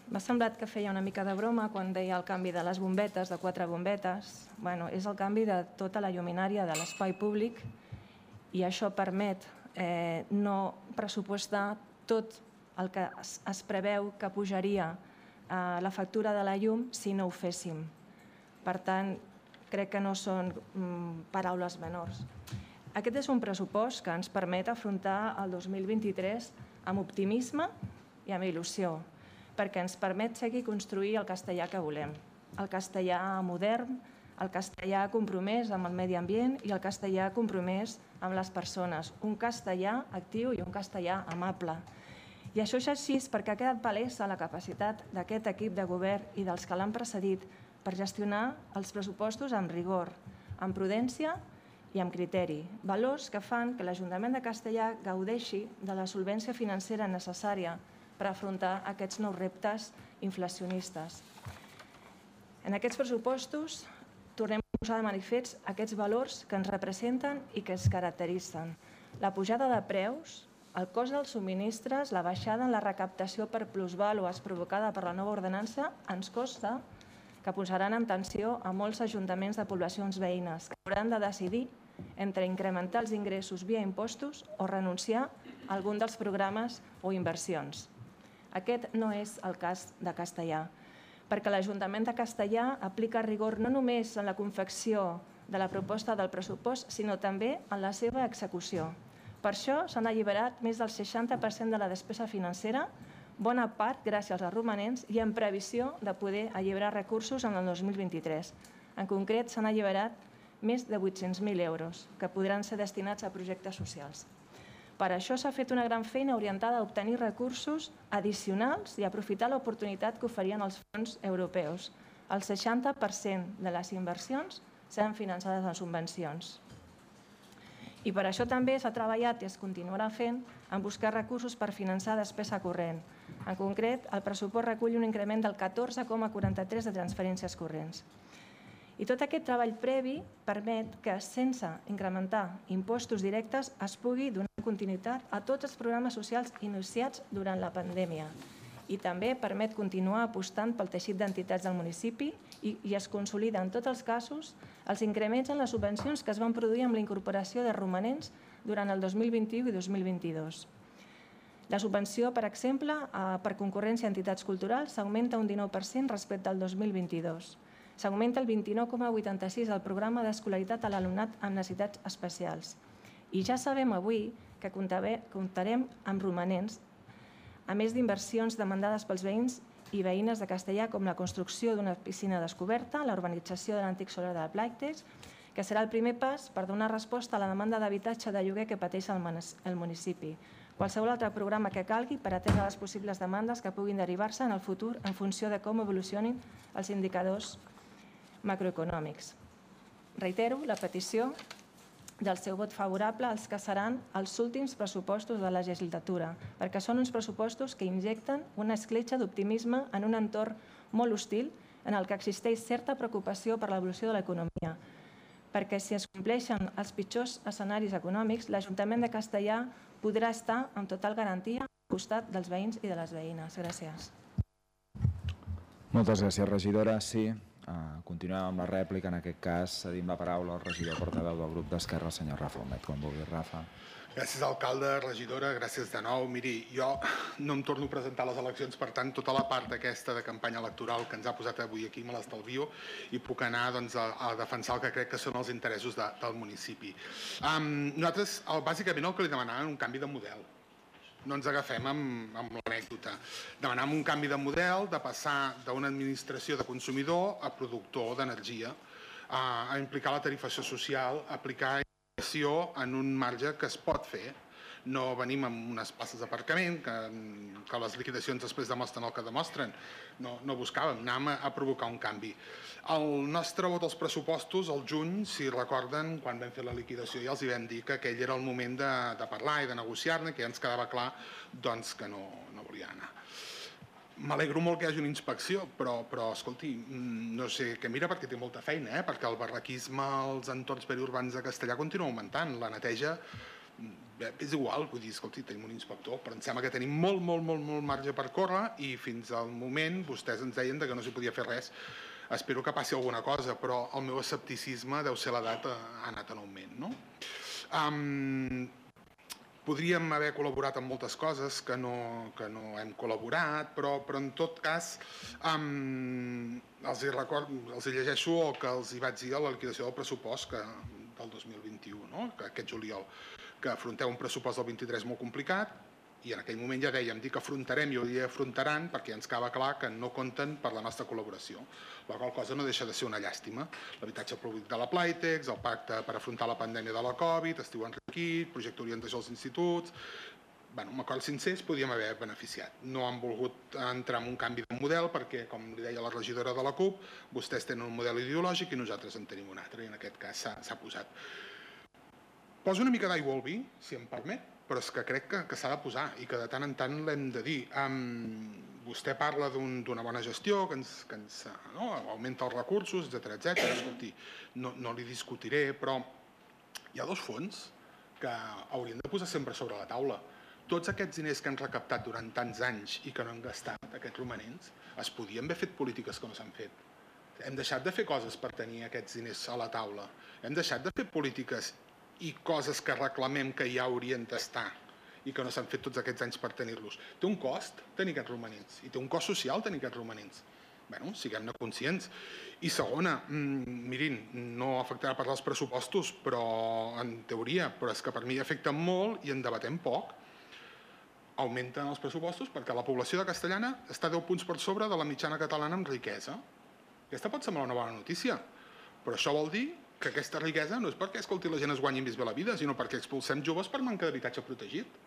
M'ha semblat que feia una mica de broma quan deia el canvi de les bombetes, de quatre bombetes. Bueno, és el canvi de tota la lluminària de l'espai públic i això permet eh, no pressupostar tot el que es, es preveu que pujaria eh, la factura de la llum si no ho féssim. Per tant, crec que no són mm, paraules menors. Aquest és un pressupost que ens permet afrontar el dos mil vint-i-tres amb optimisme i amb il·lusió, perquè ens permet seguir construir el castellà que volem. El castellà modern, el castellà compromès amb el medi ambient i el castellà compromès amb les persones. Un castellà actiu i un castellà amable. I això és així perquè ha quedat palesa la capacitat d'aquest equip de govern i dels que l'han precedit per gestionar els pressupostos amb rigor, amb prudència i amb criteri. Valors que fan que l'Ajuntament de Castellar gaudeixi de la solvència financera necessària per afrontar aquests nous reptes inflacionistes. En aquests pressupostos tornem a posar de manifest aquests valors que ens representen i que ens caracteritzen. La pujada de preus, el cost dels subministres, la baixada en la recaptació per plusvàlues provocada per la nova ordenança ens costa que posaran en tensió a molts ajuntaments de poblacions veïnes que hauran de decidir entre incrementar els ingressos via impostos o renunciar a algun dels programes o inversions. Aquest no és el cas de Castellar, perquè l'Ajuntament de Castellar aplica rigor no només en la confecció de la proposta del pressupost, sinó també en la seva execució. Per això s'han alliberat més del seixanta per cent de la despesa financera, bona part gràcies als romanents i en previsió de poder alliberar recursos en el dos mil vint-i-tres. En concret, s'han alliberat més de vuit-cents mil euros, que podran ser destinats a projectes socials. Per això s'ha fet una gran feina orientada a obtenir recursos addicionals i aprofitar l'oportunitat que oferien els fons europeus. El seixanta per cent de les inversions seran finançades en subvencions. I per això també s'ha treballat i es continuarà fent en buscar recursos per finançar despesa corrent. En concret, el pressupost recull un increment del catorze coma quaranta-tres de transferències corrents. I tot aquest treball previ permet que, sense incrementar impostos directes, es pugui donar continuïtat a tots els programes socials iniciats durant la pandèmia. I també permet continuar apostant pel teixit d'entitats del municipi i, i es consolida en tots els casos els increments en les subvencions que es van produir amb la incorporació de romanents durant el dos mil vint-i-u i dos mil vint-i-dos. La subvenció, per exemple, per concurrència a entitats culturals s'augmenta un dinou per cent respecte al dos mil vint-i-dos. S'augmenta el vint-i-nou coma vuitanta-sis al programa d'escolaritat a l'alumnat amb necessitats especials. I ja sabem avui que comptarem amb romanents, a més d'inversions demandades pels veïns i veïnes de Castellar, com la construcció d'una piscina descoberta, la urbanització de l'antic solar de Plàctex, que serà el primer pas per donar resposta a la demanda d'habitatge de lloguer que pateix el municipi. Qualsevol altre programa que calgui per atendre les possibles demandes que puguin derivar-se en el futur en funció de com evolucionin els indicadors macroeconòmics. Reitero la petició del seu vot favorable als que seran els últims pressupostos de la legislatura, perquè són uns pressupostos que injecten una escletxa d'optimisme en un entorn molt hostil en el que existeix certa preocupació per l'evolució de l'economia. Perquè si es compleixen els pitjors escenaris econòmics, l'Ajuntament de Castellar podrà estar amb total garantia al costat dels veïns i de les veïnes. Gràcies. Moltes gràcies, regidora. Sí. Uh, continuem amb la rèplica. En aquest cas, cedim la paraula al regidor portaveu del grup d'Esquerra, el senyor Rafa Humet. Quan vulgui, Rafa. Gràcies, alcalde, regidora, gràcies de nou. Miri, jo no em torno a presentar a les eleccions, per tant, tota la part aquesta de campanya electoral que ens ha posat avui aquí me l'estalvio i puc anar doncs, a, a defensar el que crec que són els interessos de, del municipi. Um, nosaltres, el, bàsicament, el que li demanàvem un canvi de model. No ens agafem amb, amb l'anècdota. Demanàvem un canvi de model, de passar d'una administració de consumidor a productor d'energia, a, a implicar la tarifació social, a aplicar informació en un marge que es pot fer. No venim amb unes places d'aparcament, que, que les liquidacions després demostren el que demostren. No, no buscàvem, anàvem a, a provocar un canvi. El nostre vot als pressupostos, al juny, si recorden, quan vam fer la liquidació ja els hi vam dir que aquell era el moment de, de parlar i de negociar-ne, que ja ens quedava clar doncs, que no, no volia anar. M'alegro molt que hi hagi una inspecció, però, però escolti, no sé què mira perquè té molta feina, eh? Perquè el barraquisme als entorns periurbans de Castellar continua augmentant. La neteja és igual, vull dir, escolti, tenim un inspector, però em sembla que tenim molt, molt, molt, molt marge per córrer i fins al moment vostès ens deien que no s'hi podia fer res. Espero que passi alguna cosa, però el meu escepticisme deu ser l'edat ha anat en augment, no? Um, podríem haver col·laborat en moltes coses que no, que no hem col·laborat, però, però en tot cas um, els, hi record, els hi llegeixo el que els hi vaig dir a la liquidació del pressupost que, del dos mil vint-i-u, no? Que aquest juliol, que afronteu un pressupost del vint-i-tres molt complicat, i en aquell moment ja dèiem, dir que afrontarem i ho dir afrontaran perquè ens acaba clar que no compten per la nostra col·laboració. La qual cosa no deixa de ser una llàstima. L'habitatge públic de la Playtex, el pacte per afrontar la pandèmia de la Covid, estiu enriquit, projecte orientació als instituts... Bueno, amb acords sincers podíem haver beneficiat. No han volgut entrar en un canvi de model perquè, com li deia la regidora de la CUP, vostès tenen un model ideològic i nosaltres en tenim un altre, i en aquest cas s'ha posat. Poso una mica d'aigua al vi, si em permet, però és que crec que, que s'ha de posar i que de tant en tant l'hem de dir. Um, vostè parla d'una bona gestió, que ens, que ens no, augmenta els recursos, etcètera, etcètera. Escolti, no, no li discutiré, però hi ha dos fons que hauríem de posar sempre sobre la taula. Tots aquests diners que han recaptat durant tants anys i que no han gastat, aquests romanents, es podien haver fet polítiques que no s'han fet. Hem deixat de fer coses per tenir aquests diners a la taula. Hem deixat de fer polítiques i coses que reclamem que ja haurien d'estar i que no s'han fet tots aquests anys per tenir-los. Té un cost tenir aquests romanents i té un cost social tenir aquests romanents. Bé, siguem-ne conscients. I segona, mirin, no afectarà per als pressupostos, però en teoria, però és que per mi afecten molt i en debatem poc. Augmenten els pressupostos perquè la població de Castellana està deu punts per sobre de la mitjana catalana en riquesa. Aquesta pot semblar una bona notícia, però això vol dir que aquesta riquesa no és perquè, escolti, la gent es guanyi més bé la vida, sinó perquè expulsem joves per manca d'habitatge protegit.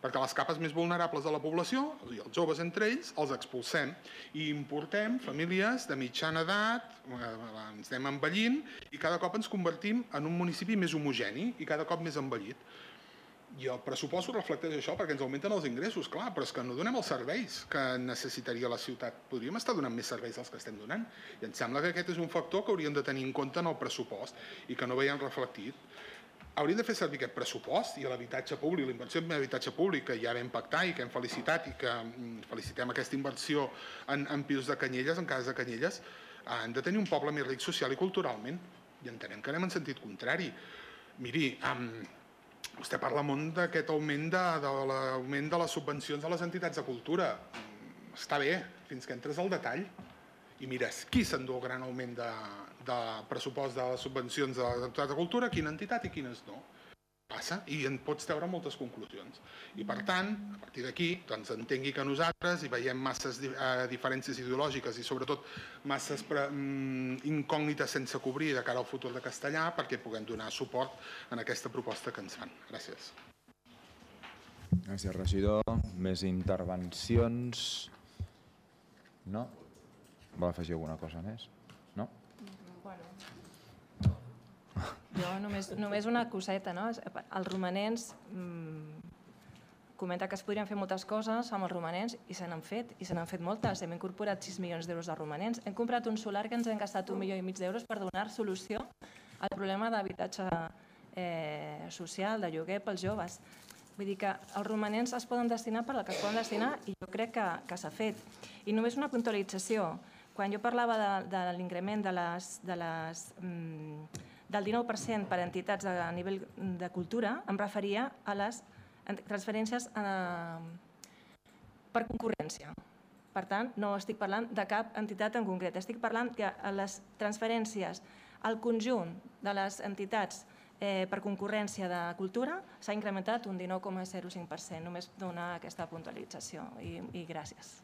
Perquè les capes més vulnerables de la població, els joves entre ells, els expulsem i importem famílies de mitjana edat, ens anem envellint i cada cop ens convertim en un municipi més homogeni i cada cop més envellit. I el pressupost ho reflecteix això perquè ens augmenten els ingressos, clar, però és que no donem els serveis que necessitaria la ciutat. Podríem estar donant més serveis dels que estem donant. I em sembla que aquest és un factor que hauríem de tenir en compte en el pressupost i que no veiem reflectit. Hauríem de fer servir aquest pressupost i l'habitatge públic, la inversió en habitatge públic que ja vam pactar i que hem felicitat i que felicitem aquesta inversió en, en pisos de Canyelles, en cases de Canyelles, han de tenir un poble més ric social i culturalment. I entenem que anem en sentit contrari. Miri, amb... Vostè parla molt d'aquest augment de, de l'augment de les subvencions a les entitats de cultura. Està bé, fins que entres al detall. I mires, qui s'endú el gran augment de, de pressupost de les subvencions de les entitats de cultura, quina entitat i quines no. Passa i en pots treure moltes conclusions. I per tant, a partir d'aquí, doncs entengui que nosaltres hi veiem masses eh, diferències ideològiques i sobretot masses pre, mm, incògnites sense cobrir de cara al futur de Castellà perquè puguem donar suport en aquesta proposta que ens fan. Gràcies. Gràcies, regidor. Més intervencions? No? Vol afegir alguna cosa més? No? Jo només, només una coseta, no? Els romanents, mmm, comenta que es podrien fer moltes coses amb els romanents i se n'han fet, i se n'han fet moltes. Hem incorporat sis milions d'euros de romanents. Hem comprat un solar que ens hem gastat un milió i mig d'euros per donar solució al problema d'habitatge eh, social, de lloguer pels joves. Vull dir que els romanents es poden destinar per al que es poden destinar i jo crec que, que s'ha fet. I només una puntualització. Quan jo parlava de, de l'increment de les... De les mmm, del dinou per cent per a entitats a nivell de cultura, em referia a les transferències per concurrència. Per tant, no estic parlant de cap entitat en concret, estic parlant que les transferències al conjunt de les entitats per concurrència de cultura s'ha incrementat un dinou coma zero cinc per cent. Només donar aquesta puntualització i, i gràcies.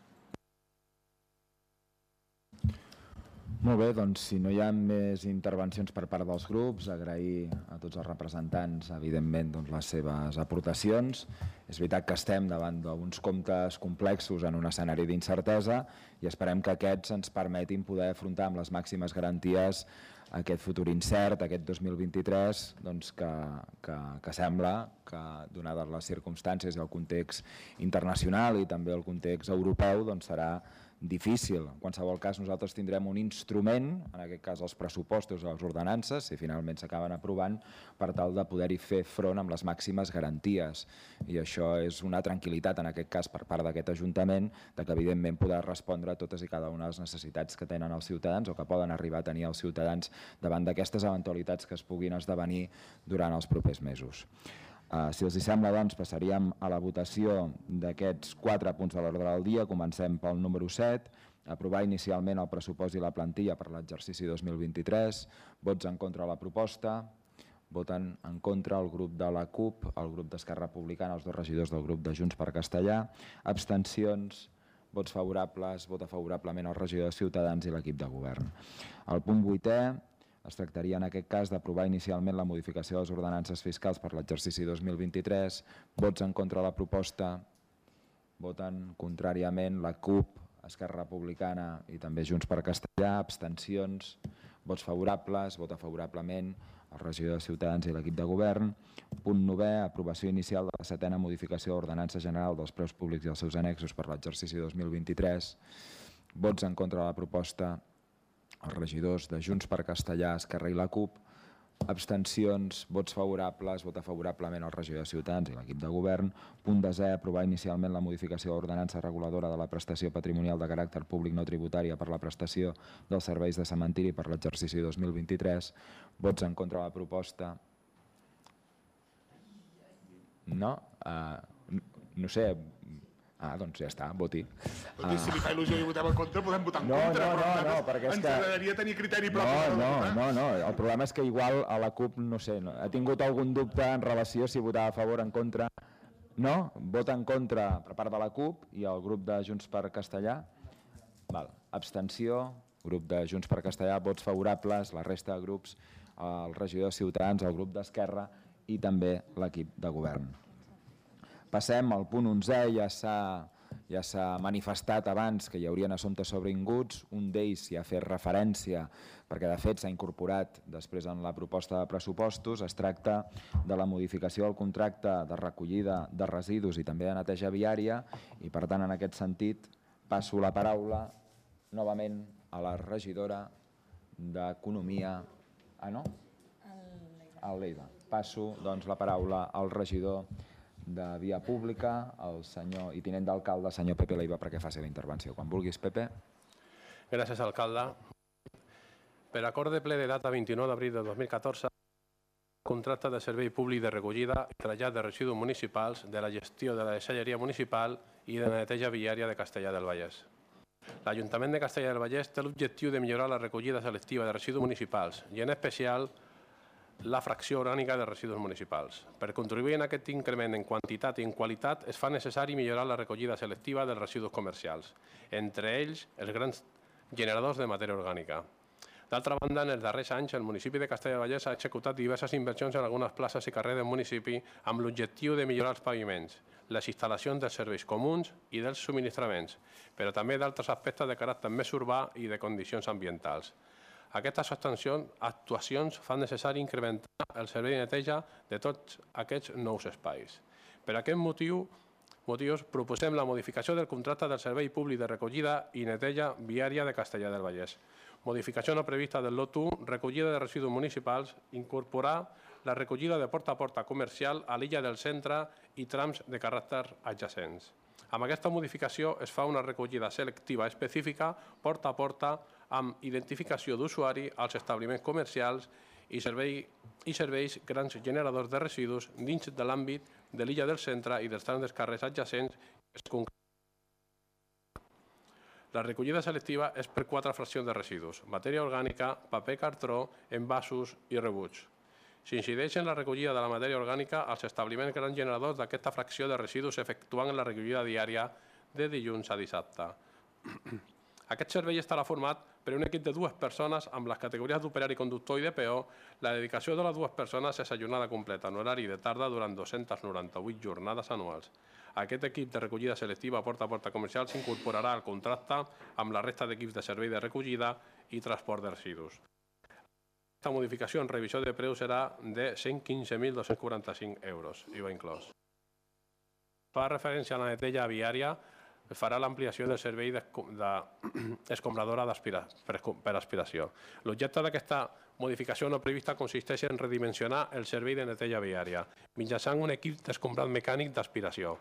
Molt bé, doncs si no hi ha més intervencions per part dels grups, agrair a tots els representants, evidentment, doncs, les seves aportacions. És veritat que estem davant d'uns comptes complexos en un escenari d'incertesa i esperem que aquests ens permetin poder afrontar amb les màximes garanties aquest futur incert, aquest dos mil vint-i-tres, doncs que, que, que sembla que, donades les circumstàncies i el context internacional i també el context europeu, doncs serà difícil. En qualsevol cas, nosaltres tindrem un instrument, en aquest cas els pressupostos o les ordenances, si finalment s'acaben aprovant, per tal de poder-hi fer front amb les màximes garanties. I això és una tranquil·litat, en aquest cas, per part d'aquest Ajuntament, de que evidentment podrà respondre a totes i cada una de les necessitats que tenen els ciutadans o que poden arribar a tenir els ciutadans davant d'aquestes eventualitats que es puguin esdevenir durant els propers mesos. Uh, si els hi sembla, doncs, passaríem a la votació d'aquests quatre punts de l'ordre del dia. Comencem pel número set, aprovar inicialment el pressupost i la plantilla per l'exercici dos mil vint-i-tres. Vots en contra de la proposta. Voten en contra el grup de la CUP, el grup d'Esquerra Republicana, els dos regidors del grup de Junts per Castellar. Abstencions, vots favorables, vota favorablement el regidor de Ciutadans i l'equip de govern. El punt vuitè, es tractaria en aquest cas d'aprovar inicialment la modificació de les ordenances fiscals per l'exercici dos mil vint-i-tres. Vots en contra de la proposta. Voten contràriament la CUP, Esquerra Republicana i també Junts per Castellar. Abstencions, vots favorables, vota favorablement el regidor de Ciutadans i l'equip de govern. Punt novè, aprovació inicial de la setena modificació de l'ordenança general dels preus públics i els seus annexos per l'exercici dos mil vint-i-tres. Vots en contra de la proposta, els regidors de Junts per Castellar, Esquerra i la CUP. Abstencions, vots favorables, vota favorablement el regidor de Ciutadans i l'equip de govern. Punt desè, aprovar inicialment la modificació de l'ordenança reguladora de la prestació patrimonial de caràcter públic no tributària per la prestació dels serveis de cementiri per l'exercici dos mil vint-i-tres. Vots en contra de la proposta. No? Uh, no sé... Ah, doncs ja està, voti. Escolti, si li fa il·lusió i votem en contra, podem votar en no, contra, no, però no, no, perquè és ens que... agradaria tenir criteri propi. No, no, no, no, el problema és que igual a la CUP, no sé, no, ha tingut algun dubte en relació si votava a favor o en contra. No? Vota en contra per part de la CUP i el grup de Junts per Castellar. Val. Abstenció, grup de Junts per Castellar, vots favorables, la resta de grups, el regidor de Ciutadans, el grup d'Esquerra i també l'equip de govern. Passem al punt onzè, ja s'ha ja s'ha manifestat abans que hi haurien assumptes sobrevinguts, un d'ells s'hi ha fet referència perquè de fet s'ha incorporat després en la proposta de pressupostos. Es tracta de la modificació del contracte de recollida de residus i també de neteja viària i per tant en aquest sentit passo la paraula novament a la regidora d'Economia. Ah, no? Al Lleida. Passo doncs la paraula al regidor de Via Pública, el senyor i tinent d'alcalde, senyor Pepe Leiva, perquè faci la intervenció. Quan vulguis, Pepe. Gràcies, alcalde. Per acord de ple de data vint-i-nou d'abril de dos mil catorze, contracte de servei públic de recollida i trasllat de residus municipals, de la gestió de la deixalleria municipal i de la neteja viària de Castellar del Vallès. L'Ajuntament de Castellar del Vallès té l'objectiu de millorar la recollida selectiva de residus municipals i en especial la fracció orgànica de residus municipals. Per contribuir en aquest increment en quantitat i en qualitat es fa necessari millorar la recollida selectiva dels residus comercials, entre ells els grans generadors de matèria orgànica. D'altra banda, en els darrers anys, el municipi de Castellar del Vallès ha executat diverses inversions en algunes places i carrers del municipi amb l'objectiu de millorar els paviments, les instal·lacions dels serveis comuns i dels subministraments, però també d'altres aspectes de caràcter més urbà i de condicions ambientals. Aquestes actuacions fan necessari incrementar el servei de neteja de tots aquests nous espais. Per aquest motiu, motius proposem la modificació del contracte del Servei Públic de Recollida i Neteja Viària de Castellar del Vallès. Modificació no prevista del lot u, recollida de residus municipals, incorporar la recollida de porta a porta comercial a l'illa del centre i trams de caràcter adjacents. Amb aquesta modificació es fa una recollida selectiva específica porta a porta amb identificació d'usuari als establiments comercials i, servei, i serveis grans generadors de residus dins de l'àmbit de l'illa del centre i dels trams dels carrers adjacents. La recollida selectiva és per quatre fraccions de residus: matèria orgànica, paper cartró, envasos i rebuig. S'incideix en la recollida de la matèria orgànica als establiments grans generadors d'aquesta fracció de residus efectuant la recollida diària de dilluns a dissabte. Aquest servei estarà format per un equip de dues persones amb les categories d'operari, conductor i de peó. La dedicació de les dues persones és a jornada completa en horari de tarda durant dues-centes noranta-vuit jornades anuals. Aquest equip de recollida selectiva porta a porta comercial s'incorporarà al contracte amb la resta d'equips de servei de recollida i transport de residus. Aquesta modificació en revisió de preu serà de cent quinze mil dos-cents quaranta-cinc euros, I V A inclòs. Fa referència a la neteja viària. es farà l'ampliació del servei d'escombradora per aspiració. L'objecte d'aquesta modificació no prevista consisteix en redimensionar el servei de neteja viària mitjançant un equip d'escombrat mecànic d'aspiració.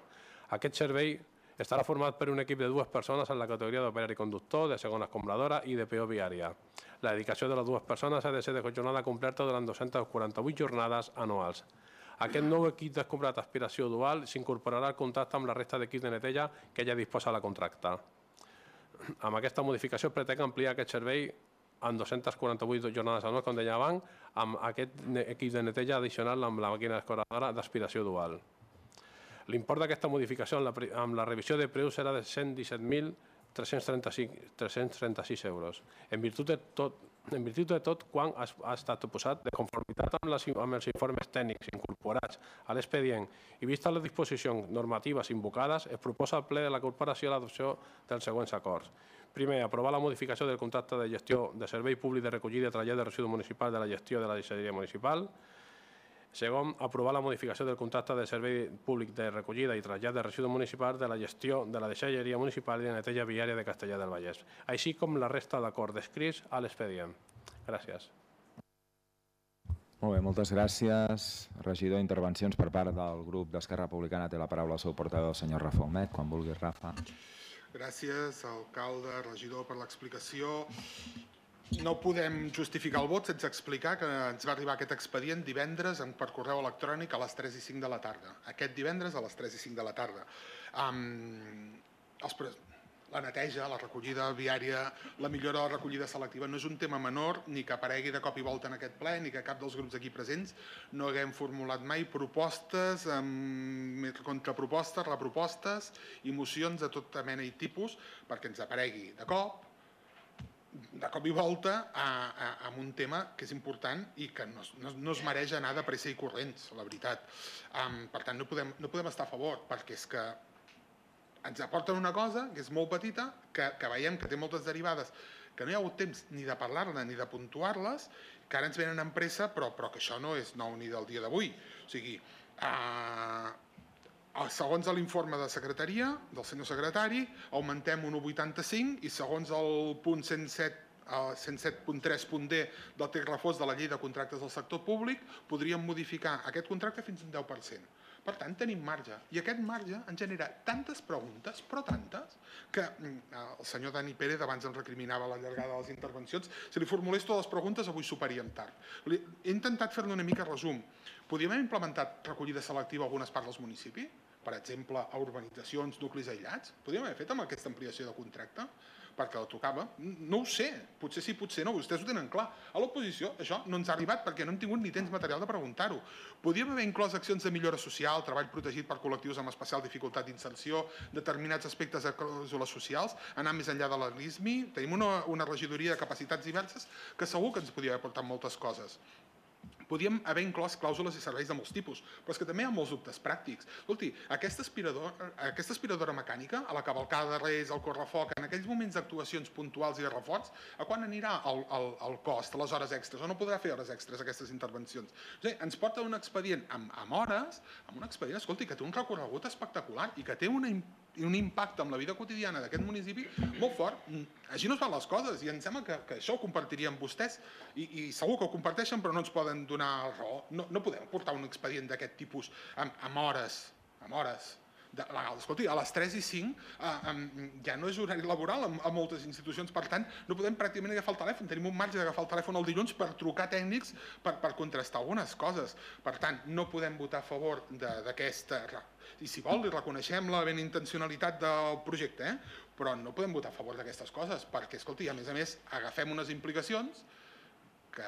Aquest servei estarà format per un equip de dues persones en la categoria d'operari conductor, de segona escombradora i de peó viària. La dedicació de les dues persones ha de ser de jornada completa durant dues-centes quaranta-vuit jornades anuals. Aquest nou equip d'escombrat d'aspiració dual s'incorporarà al contracte amb la resta d'equips de neteja que ja disposa la contracta. Amb aquesta modificació pretén ampliar aquest servei en dues-centes quaranta-vuit jornades anuals, com deia abans, amb aquest equip de neteja addicional amb la màquina escombradora d'aspiració dual. L'import d'aquesta modificació amb la revisió de preus serà de cent disset mil tres-cents trenta-sis euros. En virtut de tot, en virtut de tot quan ha estat posat de conformitat amb, les, amb els informes tècnics incorporats a l'expedient i vistes les disposicions normatives invocades, es proposa al ple de la corporació l'adopció dels següents acords. Primer, aprovar la modificació del contracte de gestió de servei públic de recollida i trasllat de residus municipals de la gestió de la deixalleria municipal. Segon, aprovar la modificació del contracte de servei públic de recollida i trasllat de residus municipals de la gestió de la deixalleria municipal i de neteja viària de Castellar del Vallès, així com la resta d'acords descrits a l'expedient. Gràcies. Molt bé, moltes gràcies. Regidor, intervencions per part del grup d'Esquerra Republicana. Té la paraula el seu portaveu, el senyor Rafa Humet. Quan vulguis, Rafa. Gràcies, alcalde, regidor, per l'explicació. No podem justificar el vot sense explicar que ens va arribar aquest expedient divendres per correu electrònic a les tres i cinc de la tarda. Aquest divendres a les tres i cinc de la tarda. Um, els La neteja, la recollida viària, la millora de la recollida selectiva no és un tema menor ni que aparegui de cop i volta en aquest ple ni que cap dels grups aquí presents no haguem formulat mai propostes, contrapropostes, repropostes i mocions de tota mena i tipus perquè ens aparegui de cop de cop i volta amb un tema que és important i que no es mereix anar de pressa i corrents, la veritat. Per tant, no podem estar a favor perquè és que ens aporten una cosa que és molt petita, que veiem que té moltes derivades, que no hi ha hagut temps ni de parlar-ne ni de puntuar-les, que ara ens venen amb pressa, però que això no és nou ni del dia d'avui. O sigui, segons l'informe de secretaria, del senyor secretari, augmentem un un coma vuitanta-cinc i segons el punt cent set punt tres punt d del text refós de la llei de contractes del sector públic, podríem modificar aquest contracte fins a un deu per cent. Per tant, tenim marge. I aquest marge ens genera tantes preguntes, però tantes, que el senyor Dani Pérez abans ens recriminava la llargada de les intervencions. Si li formulés totes les preguntes, avui soparíem tard. He intentat fer-ne una mica resum. Podríem haver implementat recollida selectiva a algunes parts dels municipis? Per exemple, a urbanitzacions, nuclis aïllats? Podríem haver fet amb aquesta ampliació de contracte? Perquè la tocava? No ho sé. Potser sí, potser no. Vostès ho tenen clar. A l'oposició això no ens ha arribat perquè no hem tingut ni temps material de preguntar-ho. Podríem haver inclòs accions de millora social, treball protegit per col·lectius amb especial dificultat d'inserció, determinats aspectes de clàusules socials, anar més enllà de la L I S M I. Tenim una regidoria de capacitats diverses que segur que ens podria haver portat moltes coses. Podríem haver inclòs clàusules i serveis de molts tipus, però és que també hi ha molts dubtes pràctics. Escolti, aquesta aspiradora mecànica, a la cavalcada de Reis, al correfoc, en aquells moments d'actuacions puntuals i de reforç, a quan anirà el cost, les hores extres? O no podrà fer hores extres aquestes intervencions? Ens porta un expedient amb hores, amb un expedient, escolti, que té un recorregut espectacular i que té un impacte en la vida quotidiana d'aquest municipi molt fort. Així no es fan les coses i em sembla que això ho compartirien vostès i segur que ho comparteixen però no ens poden donar raó. No podem portar un expedient d'aquest tipus amb hores, amb hores legals. Escolti, a les tres i cinc ja no és horari laboral a moltes institucions, per tant no podem pràcticament agafar el telèfon, tenim un marge d'agafar el telèfon el dilluns per trucar tècnics per contrastar algunes coses. Per tant, no podem votar a favor d'aquesta... I si vol, li reconeixem la benintencionalitat del projecte, però no podem votar a favor d'aquestes coses, perquè, escolti, a més a més, agafem unes implicacions que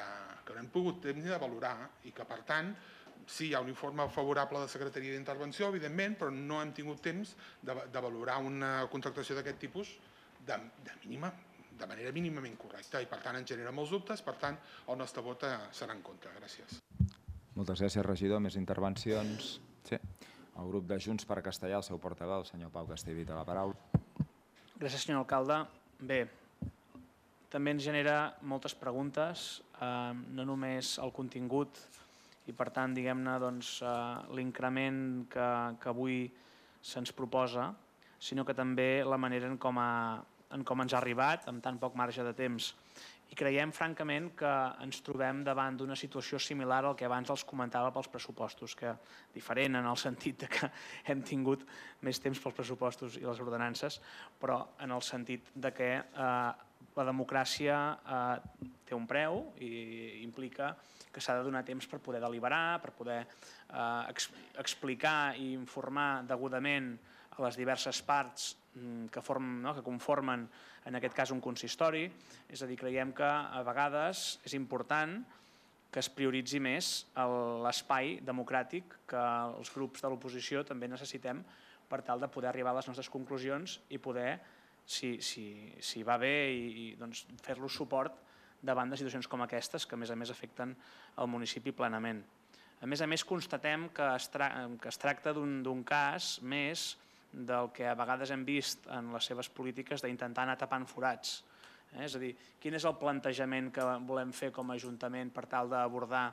no hem pogut temps ni de valorar i que, per tant, sí, hi ha un informe favorable de Secretaria d'Intervenció, evidentment, però no hem tingut temps de valorar una contractació d'aquest tipus de manera mínimament correcta i, per tant, ens genera molts dubtes, per tant, el nostre vot serà en contra. Gràcies. Moltes gràcies, regidor. Més intervencions? Sí. El grup de Junts per Castellar, el seu portaveu, el senyor Pau Castellví, té la paraula. Gràcies, senyor alcalde. Bé, també ens genera moltes preguntes, no només el contingut i, per tant, diguem-ne, l'increment que avui se'ns proposa, sinó que també la manera en com, ha, en com ens ha arribat, amb tan poc marge de temps. I creiem, francament, que ens trobem davant d'una situació similar al que abans els comentava pels pressupostos, que diferent en el sentit que hem tingut més temps pels pressupostos i les ordenances, però en el sentit de que eh, la democràcia eh, té un preu i implica que s'ha de donar temps per poder deliberar, per poder eh, ex explicar i informar degudament a les diverses parts que, form, no, que conformen en aquest cas un consistori. És a dir, creiem que a vegades és important que es prioritzi més l'espai democràtic que els grups de l'oposició també necessitem per tal de poder arribar a les nostres conclusions i poder, si, si, si va bé, i, i doncs, fer-los suport davant de situacions com aquestes que a més a més afecten el municipi plenament. A més a més constatem que es, tra que es tracta d'un cas més del que a vegades hem vist en les seves polítiques d'intentar anar tapant forats. Eh? És a dir, quin és el plantejament que volem fer com a Ajuntament per tal d'abordar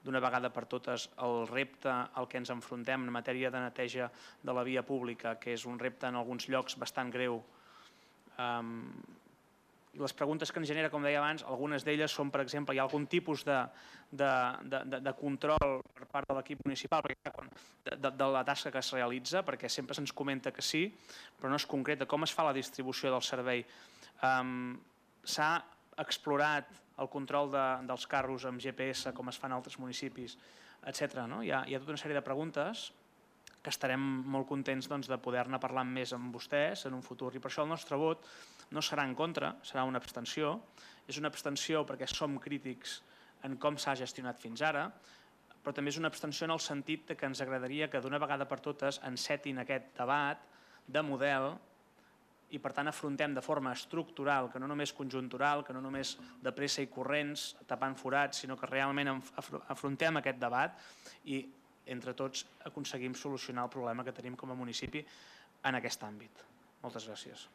d'una vegada per totes el repte al que ens enfrontem en matèria de neteja de la via pública, que és un repte en alguns llocs bastant greu. Um, les preguntes que ens genera, com deia abans, algunes d'elles són, per exemple, hi ha algun tipus de, de, de, de control per part de l'equip municipal de, de, de la tasca que es realitza, perquè sempre se'ns comenta que sí, però no és concreta. Com es fa la distribució del servei? Um, S'ha explorat el control de, dels carros amb G P S, com es fa en altres municipis, etcètera. No? Hi ha, hi ha tota una sèrie de preguntes que estarem molt contents doncs, de poder-ne parlar més amb vostès en un futur. I per això el nostre vot no serà en contra, serà una abstenció. És una abstenció perquè som crítics en com s'ha gestionat fins ara, però també és una abstenció en el sentit que ens agradaria que d'una vegada per totes encetin aquest debat de model i per tant afrontem de forma estructural, que no només conjuntural, que no només de pressa i corrents, tapant forats, sinó que realment afrontem aquest debat i entre tots aconseguim solucionar el problema que tenim com a municipi en aquest àmbit. Moltes gràcies.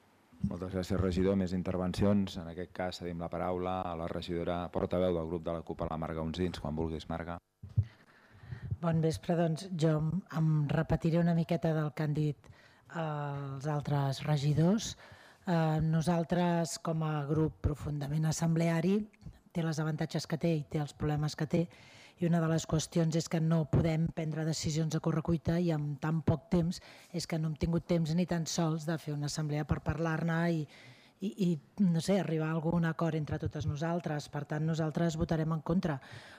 Moltes gràcies, regidor. Més intervencions. En aquest cas cedim la paraula a la regidora portaveu del grup de la CUP, a la Marga Unsins. Quan vulguis, Marga. Bon vespre. Doncs jo em repetiré una miqueta del que han dit els altres regidors. Nosaltres, com a grup profundament assembleari, té els avantatges que té i té els problemes que té, i una de les qüestions és que no podem prendre decisions a correcuita i en tan poc temps és que no hem tingut temps ni tan sols de fer una assemblea per parlar-ne i, i, i no sé, arribar a algun acord entre totes nosaltres. Per tant, nosaltres votarem en contra.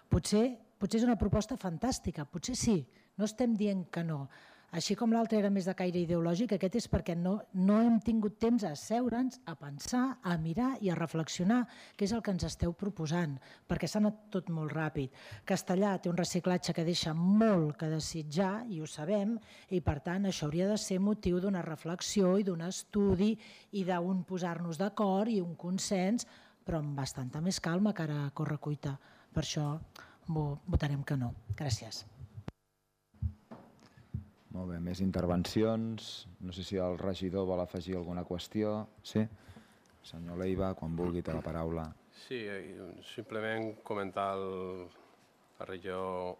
Potser, potser és una proposta fantàstica, potser sí, no estem dient que no. Així com l'altre era més de caire ideològic, aquest és perquè no, no hem tingut temps a asseure'ns, a pensar, a mirar i a reflexionar, que és el que ens esteu proposant, perquè s'ha anat tot molt ràpid. Castellà té un reciclatge que deixa molt que desitjar, i ho sabem, i per tant això hauria de ser motiu d'una reflexió i d'un estudi i d'un posar-nos d'acord i un consens, però amb bastanta més calma que ara a correcuita. Per això votarem que no. Gràcies. Molt bé, més intervencions. No sé si el regidor vol afegir alguna qüestió. Sí? Senyor Leiva, quan vulgui té la paraula. Sí, simplement comentar al regidor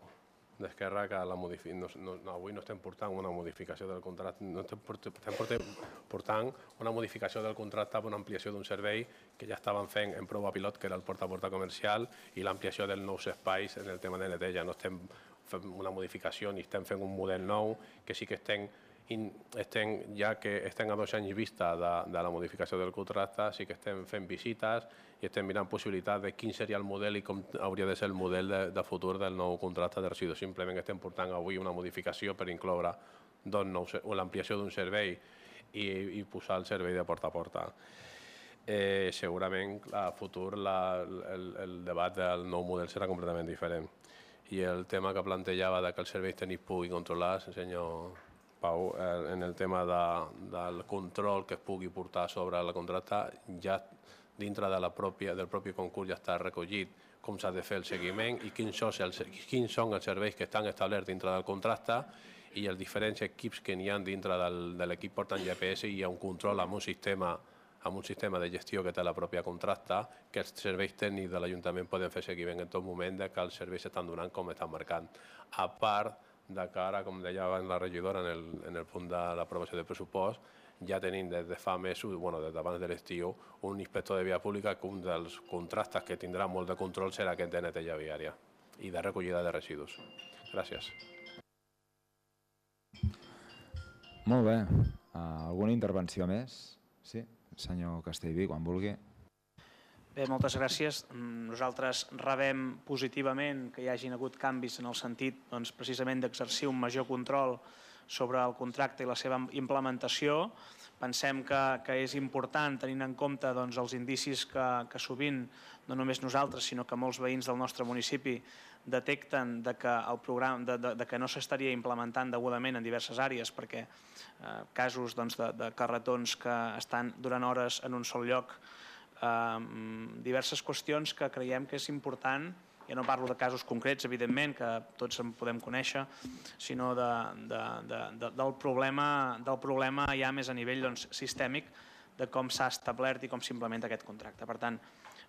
d'Esquerra que la modifi... no, no, avui no estem portant una modificació del contracte, no estem portant una modificació del contracte per una ampliació d'un servei que ja estaven fent en prova pilot, que era el porta a porta comercial, i l'ampliació dels nous espais en el tema de neteja. No estem fent una modificació ni estem fent un model nou, que sí que estem, estem ja que estem a dos anys vista de, de la modificació del contracte, sí que estem fent visites i estem mirant possibilitats de quin seria el model i com hauria de ser el model de, de futur del nou contracte de residus. Simplement estem portant avui una modificació per incloure l'ampliació d'un servei i, i posar el servei de porta a porta. Eh, segurament a futur la, el, el debat del nou model serà completament diferent. I el tema que plantejava de que els serveis tècnics pugui controlar, senyor Pau, en el tema de, del control que es pugui portar sobre el contracte, ja dintre de la pròpia, del propi concurs ja està recollit com s'ha de fer el seguiment i quins són els, quins són els serveis que estan establerts dintre del contracte i els diferents equips que n'hi ha dintre del, de l'equip portant G P S i hi ha un control amb un sistema amb un sistema de gestió que té la pròpia contracte, que els serveis tècnics de l'Ajuntament poden fer seguiment en tot moment de que els serveis s'estan donant com estan marcant. A part de que ara, com deia abans la regidora en el, en el punt de l'aprovació del pressupost, ja tenim des de fa mesos, bueno, des d'abans de l'estiu, un inspector de via pública que un dels contractes que tindrà molt de control serà aquest de neteja viària i de recollida de residus. Gràcies. Molt bé. Alguna intervenció més? Sí, senyor Castellví, quan vulgui. Bé, moltes gràcies. Nosaltres rebem positivament que hi hagin hagut canvis en el sentit precisament d'exercir un major control sobre el contracte i la seva implementació. Pensem que és important, tenint en compte els indicis que sovint, no només nosaltres, sinó que molts veïns del nostre municipi detecten que no s'estaria implementant degudament en diverses àrees, perquè casos de carretons que estan durant hores en un sol lloc, diverses qüestions que creiem que és important, ja no parlo de casos concrets, evidentment, que tots en podem conèixer, sinó del problema ja més a nivell sistèmic de com s'ha establert i com s'implementa aquest contracte. Per tant,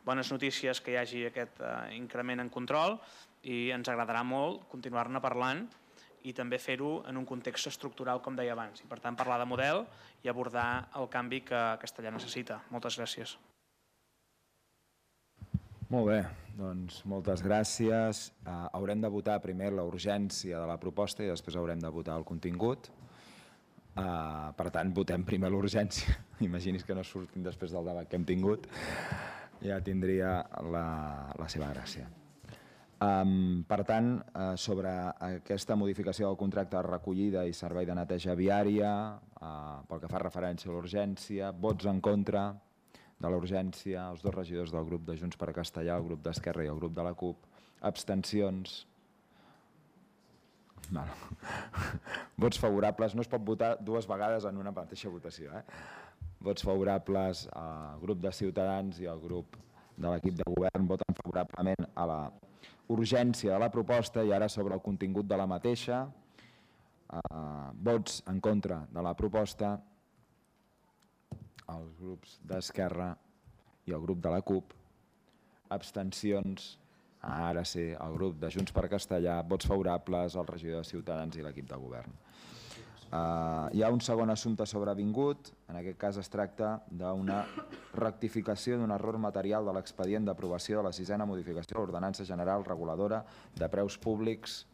bones notícies que hi hagi aquest increment en control i ens agradarà molt continuar-ne parlant i també fer-ho en un context estructural, com deia abans, i per tant parlar de model i abordar el canvi que Castellar necessita. Moltes gràcies. Molt bé, doncs moltes gràcies. Haurem de votar primer la urgència de la proposta i després haurem de votar el contingut. Per tant, votem primer l'urgència. Imagini's que no surtin després del debat que hem tingut. Ja tindria la seva gràcia. Per tant, sobre aquesta modificació del contracte de recollida i servei de neteja viària, pel que fa referència a l'urgència, vots en contra de la urgència, els dos regidors del grup de Junts per Castellar, el grup d'Esquerra i el grup de la CUP, abstencions, vots favorables, no es pot votar dues vegades en una mateixa votació, vots favorables al grup de Ciutadans i al grup de l'equip de govern voten favorablement a la urgència de la proposta i ara sobre el contingut de la mateixa, vots en contra de la proposta, els grups d'Esquerra i el grup de la CUP, abstencions, ara sí, el grup de Junts per Castellar, vots favorables al regidor de Ciutadans i l'equip de govern. Hi ha un segon assumpte sobrevingut, en aquest cas es tracta d'una rectificació d'un error material de l'expedient d'aprovació de la sisena modificació de l'Ordenança General Reguladora de Preus Públics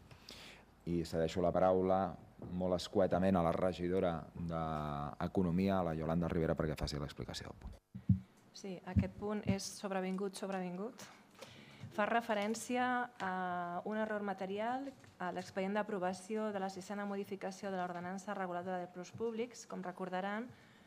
i cedeixo la paraula molt escuetament a la regidora d'Economia, la Iolanda Ribera, perquè faci l'explicació del punt. Sí, aquest punt és sobrevingut, sobrevingut. Fa referència a un error material a l'expedient d'aprovació de la sisena modificació de l'Ordenança Reguladora de Preus Públics. Com recordaran,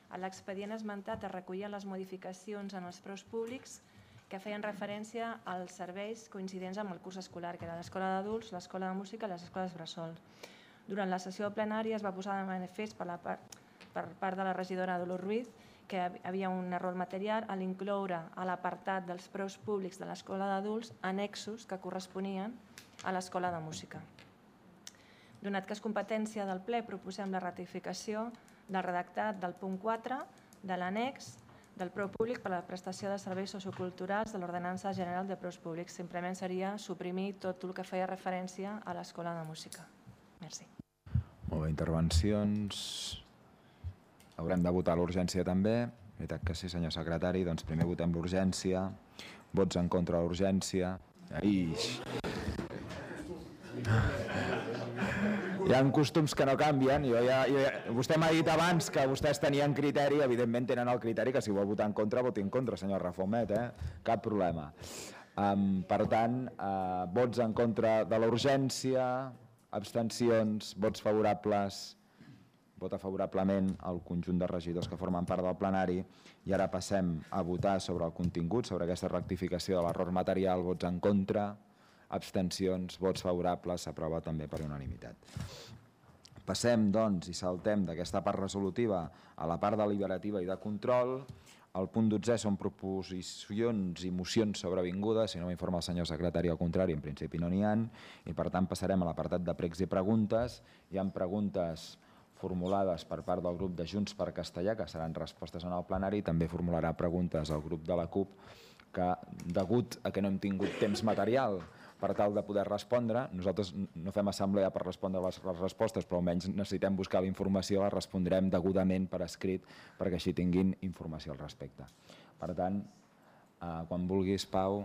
a l'expedient esmentat es recollien les modificacions en els preus públics que feien referència als serveis coincidents amb el curs escolar, que era l'escola d'adults, l'escola de música i les escoles bressol. Durant la sessió plenària es va posar de manifest per part de la regidora Dolors Ruiz que hi havia un error material a l'incloure a l'apartat dels preus públics de l'escola d'adults annexos que corresponien a l'escola de música. Donat que és competència del ple, proposem la ratificació del redactat del punt quatre de l'annex del preu públic per a la prestació de serveis socioculturals de l'Ordenança General de Preus Públics. Simplement seria suprimir tot el que feia referència a l'escola de música. Merci. Molt bé, intervencions. Haurem de votar l'urgència també. Veritat que sí, senyor secretari. Doncs primer votem l'urgència. Vots en contra de l'urgència. Aix. Hi ha costums que no canvien. Jo ja, jo ja, vostè m'ha dit abans que vostès tenien criteri, evidentment tenen el criteri que si vol votar en contra, voti en contra, senyor Rafomet, eh? Cap problema. Um, per tant, uh, vots en contra de la urgència, abstencions, vots favorables, vota favorablement el conjunt de regidors que formen part del plenari i ara passem a votar sobre el contingut, sobre aquesta rectificació de l'error material, vots en contra, abstencions, vots favorables, s'aprova també per unanimitat. Passem, doncs, i saltem d'aquesta part resolutiva a la part deliberativa i de control. El punt dotze són proposicions i mocions sobrevingudes, si no m'informa el senyor secretari, al contrari, en principi no n'hi ha, i per tant passarem a l'apartat de pregs i preguntes. Hi ha preguntes formulades per part del grup de Junts per Castellar, que seran respostes en el plenari, també formularà preguntes al grup de la CUP, que degut a que no hem tingut temps material per tal de poder respondre. Nosaltres no fem assemblea per respondre les respostes, però almenys necessitem buscar la informació, la respondrem degudament per escrit perquè així tinguin informació al respecte. Per tant, quan vulguis, Pau.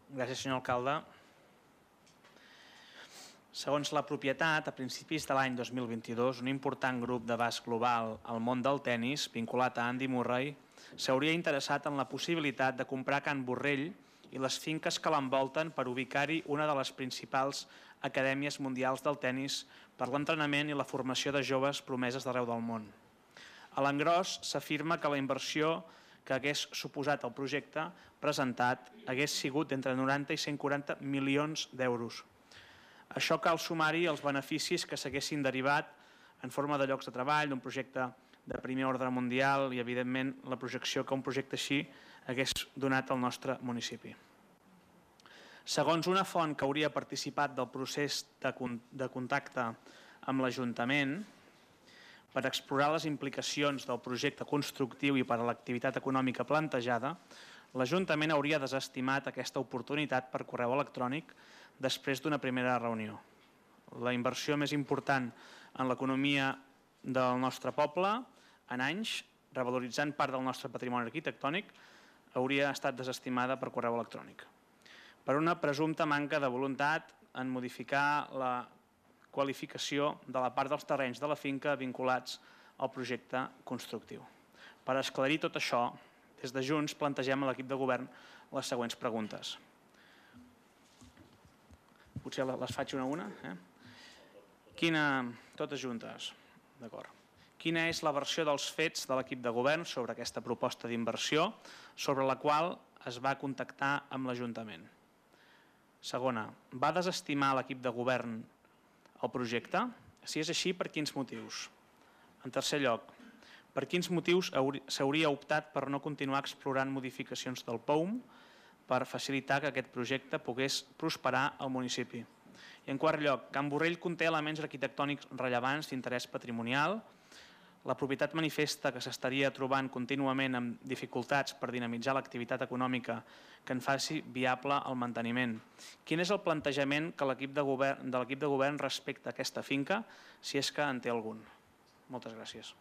Gràcies, senyor alcalde. Segons la propietat, a principis de l'any dos mil vint-i-dos, un important grup d'abast global al món del tennis, vinculat a Andy Murray, s'hauria interessat en la possibilitat de comprar Can Borrell i les finques que l'envolten per ubicar-hi una de les principals acadèmies mundials del tennis per l'entrenament i la formació de joves promeses d'arreu del món. A l'engròs s'afirma que la inversió que hagués suposat el projecte presentat hagués sigut d'entre noranta i cent quaranta milions d'euros. Això cal sumar-hi els beneficis que s'haguessin derivat en forma de llocs de treball, d'un projecte de primer ordre mundial i, evidentment, la projecció que un projecte així hagués donat al nostre municipi. Segons una font que hauria participat del procés de contacte amb l'Ajuntament per explorar les implicacions del projecte constructiu i per a l'activitat econòmica plantejada, l'Ajuntament hauria desestimat aquesta oportunitat per correu electrònic després d'una primera reunió. La inversió més important en l'economia del nostre poble en anys, revaloritzant part del nostre patrimoni arquitectònic, hauria estat desestimada per correu electrònic, per una presumpta manca de voluntat en modificar la qualificació de la part dels terrenys de la finca vinculats al projecte constructiu. Per esclarir tot això, des de Junts plantegem a l'equip de govern les següents preguntes. Potser les faig una a una. Quina... Totes juntes. D'acord. Quina és la versió dels fets de l'equip de govern sobre aquesta proposta d'inversió sobre la qual es va contactar amb l'Ajuntament? Segona, va desestimar l'equip de govern el projecte? Si és així, per quins motius? En tercer lloc, per quins motius s'hauria optat per no continuar explorant modificacions del P O U M per facilitar que aquest projecte pogués prosperar al municipi? I en quart lloc, Can Borrell conté elements arquitectònics rellevants d'interès patrimonial. La propietat manifesta que s'estaria trobant contínuament amb dificultats per dinamitzar l'activitat econòmica que en faci viable el manteniment. Quin és el plantejament de l'equip de govern respecte a aquesta finca, si és que en té algun? Moltes gràcies.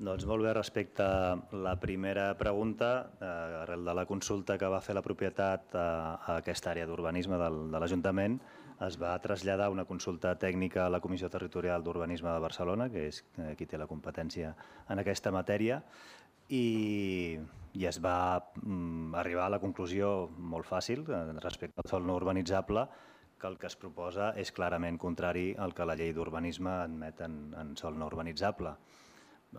Doncs molt bé, respecte a la primera pregunta, arrel de la consulta que va fer la propietat a aquesta àrea d'urbanisme de l'Ajuntament, es va traslladar una consulta tècnica a la Comissió Territorial d'Urbanisme de Barcelona, que és qui té la competència en aquesta matèria, i es va arribar a la conclusió molt fàcil respecte al sòl no urbanitzable, que el que es proposa és clarament contrari al que la llei d'urbanisme admet en sòl no urbanitzable.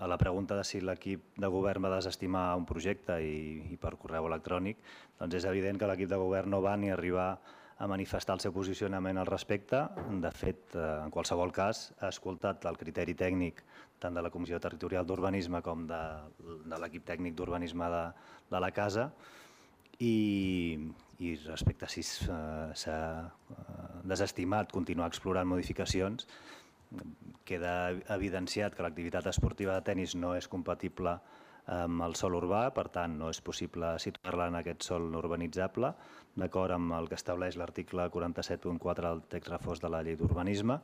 A la pregunta de si l'equip de govern va desestimar un projecte i per correu electrònic, doncs és evident que l'equip de govern no va ni arribar a manifestar el seu posicionament al respecte. De fet, en qualsevol cas, ha escoltat el criteri tècnic tant de la Comissió Territorial d'Urbanisme com de l'equip tècnic d'urbanisme de la casa i respecte a si s'ha desestimat continuar explorant modificacions, queda evidenciat que l'activitat esportiva de tennis no és compatible amb el sòl urbà, per tant no és possible situar-la en aquest sòl no urbanitzable, d'acord amb el que estableix l'article quaranta-set punt quatre del text refós de la llei d'urbanisme.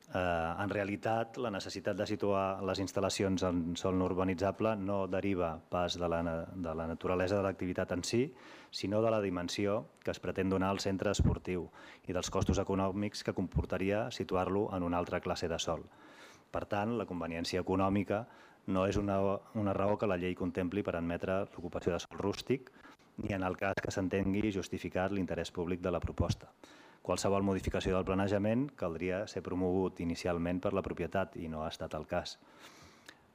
En realitat, la necessitat de situar les instal·lacions en sòl no urbanitzable no deriva pas de la naturalesa de l'activitat en si, sinó de la dimensió que es pretén donar al centre esportiu i dels costos econòmics que comportaria situar-lo en una altra classe de sòl. Per tant, la conveniència econòmica no és una raó que la llei contempli per admetre l'ocupació de sòl rústic, ni en el cas que s'entengui justificat l'interès públic de la proposta. Qualsevol modificació del planejament caldria ser promogut inicialment per la propietat i no ha estat el cas.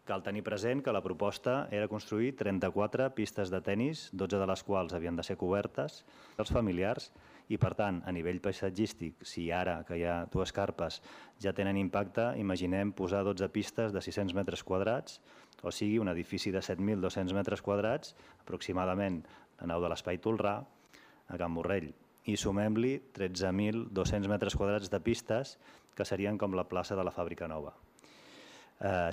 Cal tenir present que la proposta era construir trenta-quatre pistes de tennis, dotze de les quals havien de ser cobertes dels familiars i, per tant, a nivell paisatgístic, si ara que hi ha dues carpes ja tenen impacte, imaginem posar dotze pistes de sis-cents metres quadrats, o sigui, un edifici de set mil dos-cents metres quadrats, aproximadament la nau de l'Espai Tolrà, a Can Borrell, i sumem-li tretze mil dos-cents metres quadrats de pistes que serien com la plaça de la Fàbrica Nova.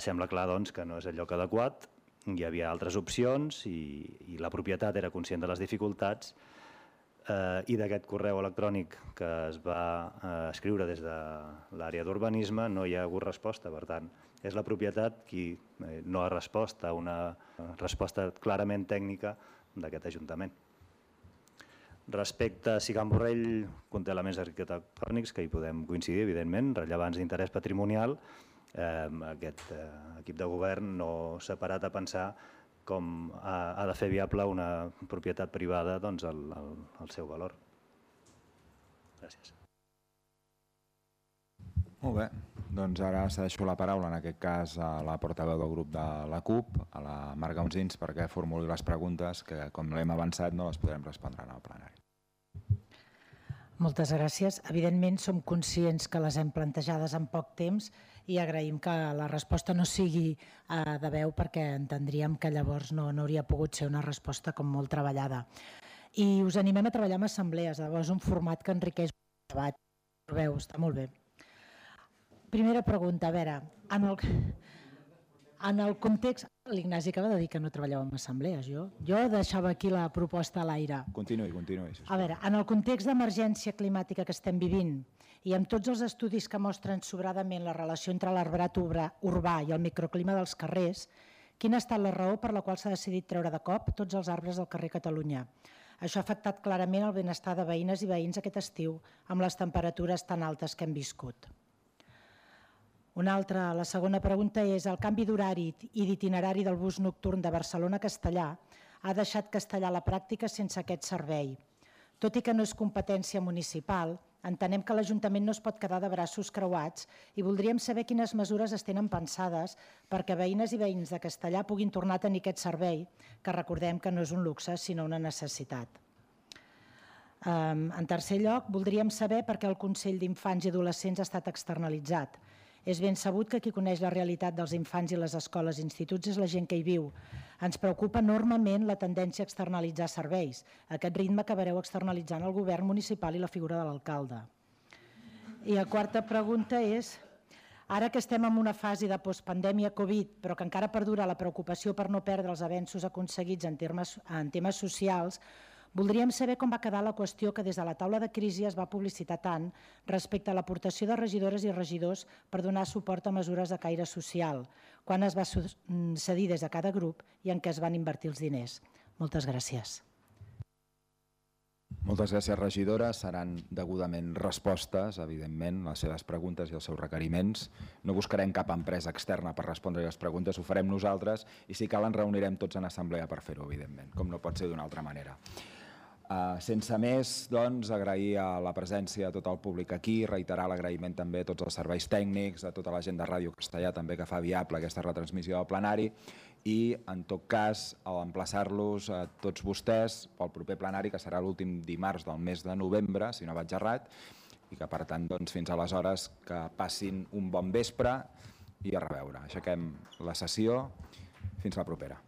Sembla clar, doncs, que no és el lloc adequat hi havia altres opcions i, i la propietat era conscient de les dificultats eh, i d'aquest correu electrònic que es va eh, escriure des de l'àrea d'urbanisme no hi ha hagut resposta. Per tant, és la propietat qui eh, no ha respost a una resposta clarament tècnica d'aquest Ajuntament. Respecte a si Can Borrell conté elements arquitectònics que hi podem coincidir, evidentment, rellevants d'interès patrimonial, eh, aquest eh, equip de govern no s'ha parat a pensar com ha, ha de fer viable una propietat privada doncs, el, el, el seu valor. Gràcies. Molt bé, doncs ara cedeixo la paraula, en aquest cas, a la portaveu del grup de la CUP, a la Marga Onsins, perquè formuli les preguntes que, com l'hem avançat, no les podrem respondre en el plenari. Moltes gràcies. Evidentment, som conscients que les hem plantejades en poc temps i agraïm que la resposta no sigui eh, de veu perquè entendríem que llavors no, no hauria pogut ser una resposta com molt treballada. I us animem a treballar amb assemblees, llavors un format que enriqueix el debat. Veu, està molt bé. Primera pregunta, a veure, en el, en el context... L'Ignasi acaba de dir que no treballeu en assemblees, jo. Jo deixava aquí la proposta a l'aire. Continuï, continuï. A veure, en el context d'emergència climàtica que estem vivint i amb tots els estudis que mostren sobradament la relació entre l'arbrat urbà i el microclima dels carrers, quina ha estat la raó per la qual s'ha decidit treure de cop tots els arbres del carrer Catalunya? Això ha afectat clarament el benestar de veïnes i veïns aquest estiu amb les temperatures tan altes que hem viscut. Una altra, la segona pregunta és: el canvi d'horari i d'itinerari del bus nocturn de Barcelona a Castellà ha deixat Castellà a la pràctica sense aquest servei. Tot i que no és competència municipal, entenem que l'Ajuntament no es pot quedar de braços creuats i voldríem saber quines mesures es tenen pensades perquè veïnes i veïns de Castellà puguin tornar a tenir aquest servei, que recordem que no és un luxe sinó una necessitat. En tercer lloc, voldríem saber per què el Consell d'Infants i Adolescents ha estat externalitzat. És ben sabut que qui coneix la realitat dels infants i les escoles i instituts és la gent que hi viu. Ens preocupa enormement la tendència a externalitzar serveis. Aquest ritme acabareu externalitzant el govern municipal i la figura de l'alcalde. I la quarta pregunta és: ara que estem en una fase de postpandèmia Covid, però que encara perdura la preocupació per no perdre els avenços aconseguits en temes, en temes socials, voldríem saber com va quedar la qüestió que des de la taula de crisi es va publicitar tant respecte a l'aportació de regidores i regidors per donar suport a mesures de caire social, quan es va cedir des de cada grup i en què es van invertir els diners. Moltes gràcies. Moltes gràcies, regidora. Seran degudament respostes, evidentment, a les seves preguntes i als seus requeriments. No buscarem cap empresa externa per respondre les preguntes, ho farem nosaltres i si cal ens reunirem tots en assemblea per fer-ho, evidentment, com no pot ser d'una altra manera. Uh, sense més, doncs, agrair a la presència de tot el públic aquí, reiterar l'agraïment també a tots els serveis tècnics, a tota la gent de Ràdio Castellà també que fa viable aquesta retransmissió del plenari i, en tot cas, emplaçar-los a tots vostès pel proper plenari, que serà l'últim dimarts del mes de novembre, si no vaig errat, i que, per tant, doncs, fins aleshores que passin un bon vespre i a reveure. Aixequem la sessió. Fins la propera.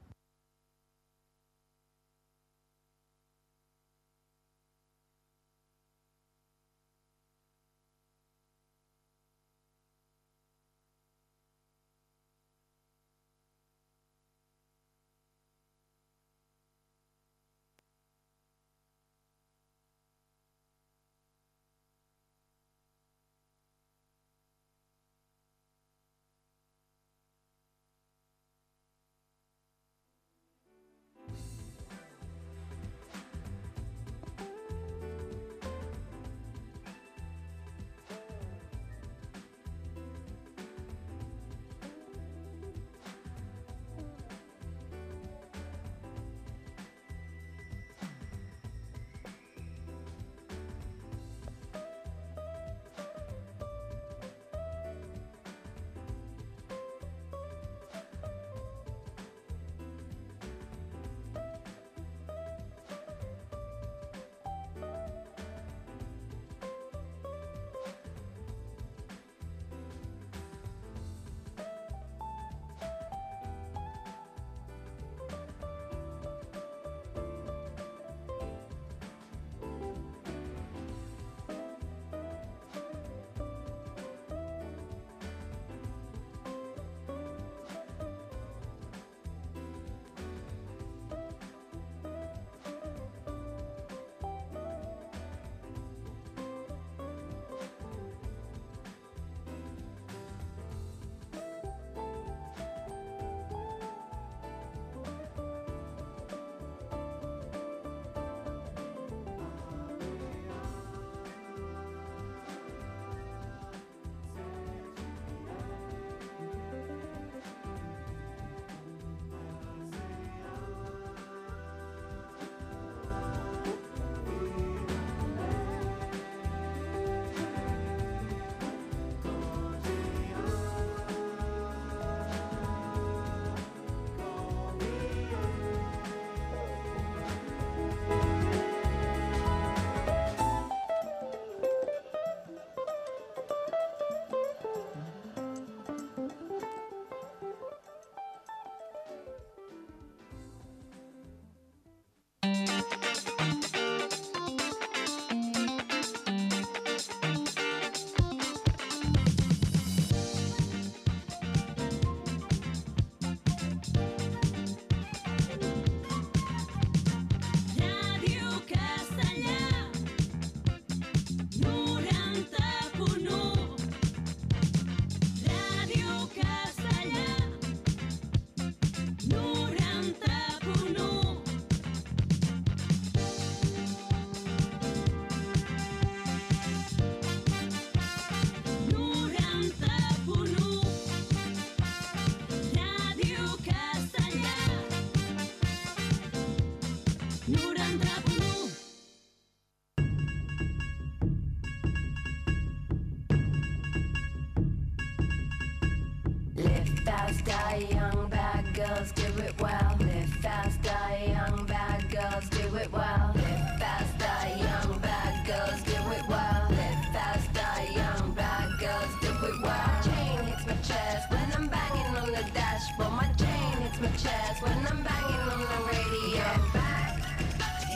when I'm banging on the radio. Get back,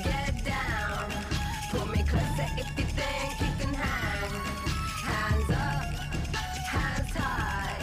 get down, pull me closer if you think you can hang. Hands up, hands high,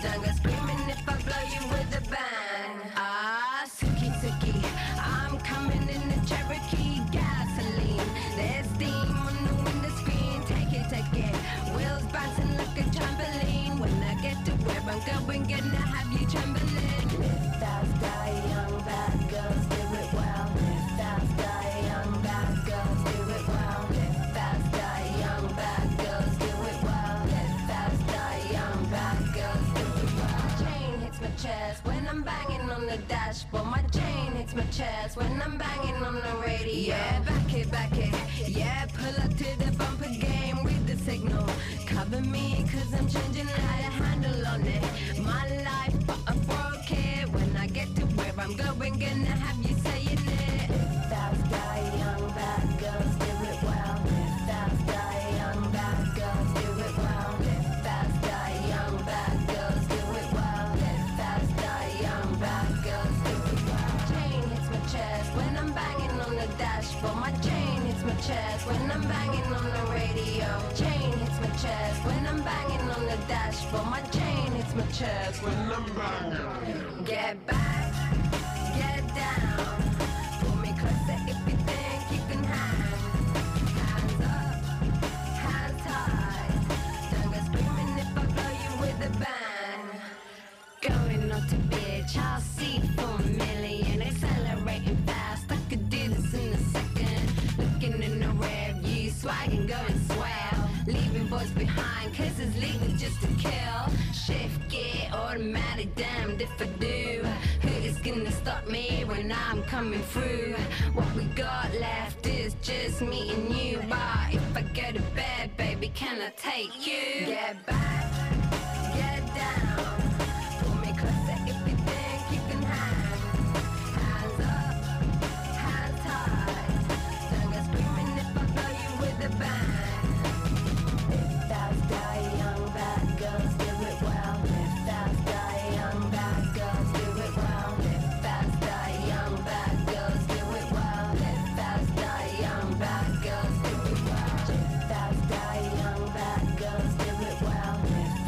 don't go screaming if I blow you with a bang. Ah, Suki Suki, I'm coming in the Cherokee gasoline. There's steam on the window screen, take it, take it. Wheels bouncing like a trampoline. When I get to where I'm going, gonna have you trembling. Live fast, die young, bad girls do it well. Live fast, die young, bad girls do it well. Live fast, die young, bad girls do it well. Live fast, die young, bad girls do it well. My chain hits my chest when I'm banging on the dashboard. My chain hits my chest when I'm banging on the radio. Yeah, back it, back it. Yeah, pull up to the bumper game, read the signal. Cover me, cause I'm changing how to handle on it. My life, but I broke it. When I get to where I'm going, gonna have you saying it. Live fast, die young, bad girls do it well. Live fast, die young, bad girls do it well. Live fast, die young, bad girls do it well. Live fast, die young, bad girls do it well. Chain hits my chest when I'm banging on the dashboard. My chain hits my chest when I'm banging on the radio. Chain hits my chest when I'm banging on the dashboard. My chain hits my chest when I'm banging. Get back, get down, pull me closer if you think you can hang. Hands up, hands high, don't go screaming if I blow you with a bang. Going on to bitch, I'll see for a million. Accelerating fast, I could do this in a second. Looking in the rear view, swagging, going swell. Leaving boys behind, cause it's legal just to kill. Shift gear, automatic, damned if I do. Who is gonna stop me when I'm coming through? What we got left is just me and you. But if I go to bed, baby, can I take you? Get back, get down, pull me closer if you think you can hang. Hands up, hands high, don't go screaming if I blow you with a bang. Live fast, die young, bad girls do it well. Live fast, die young, bad girls do it well. Live fast, die young, bad girls do it well. Live fast, die young, bad girls do it well. Live fast, die young, bad girls do it well. Live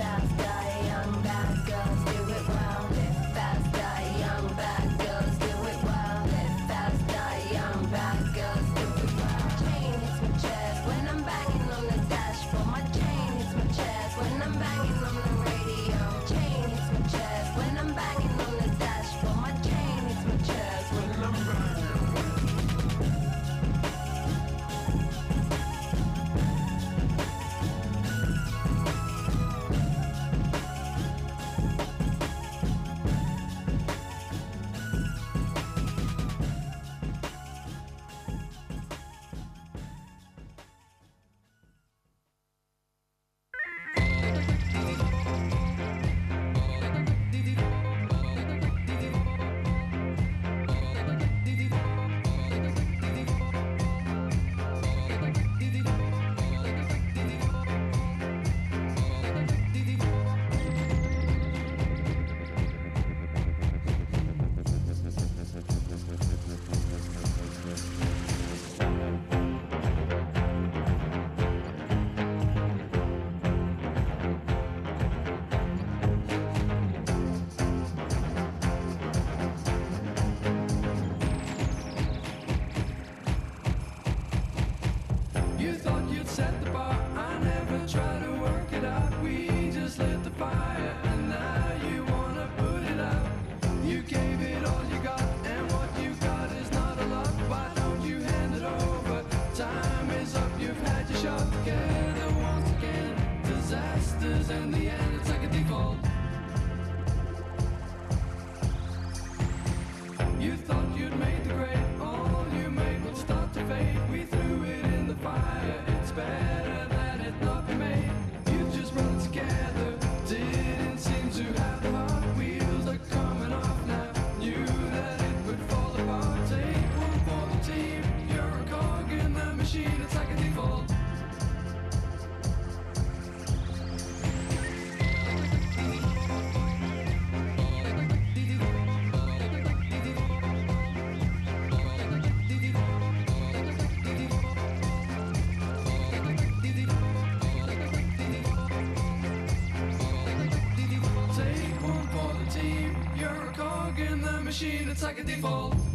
machine, it's like a default.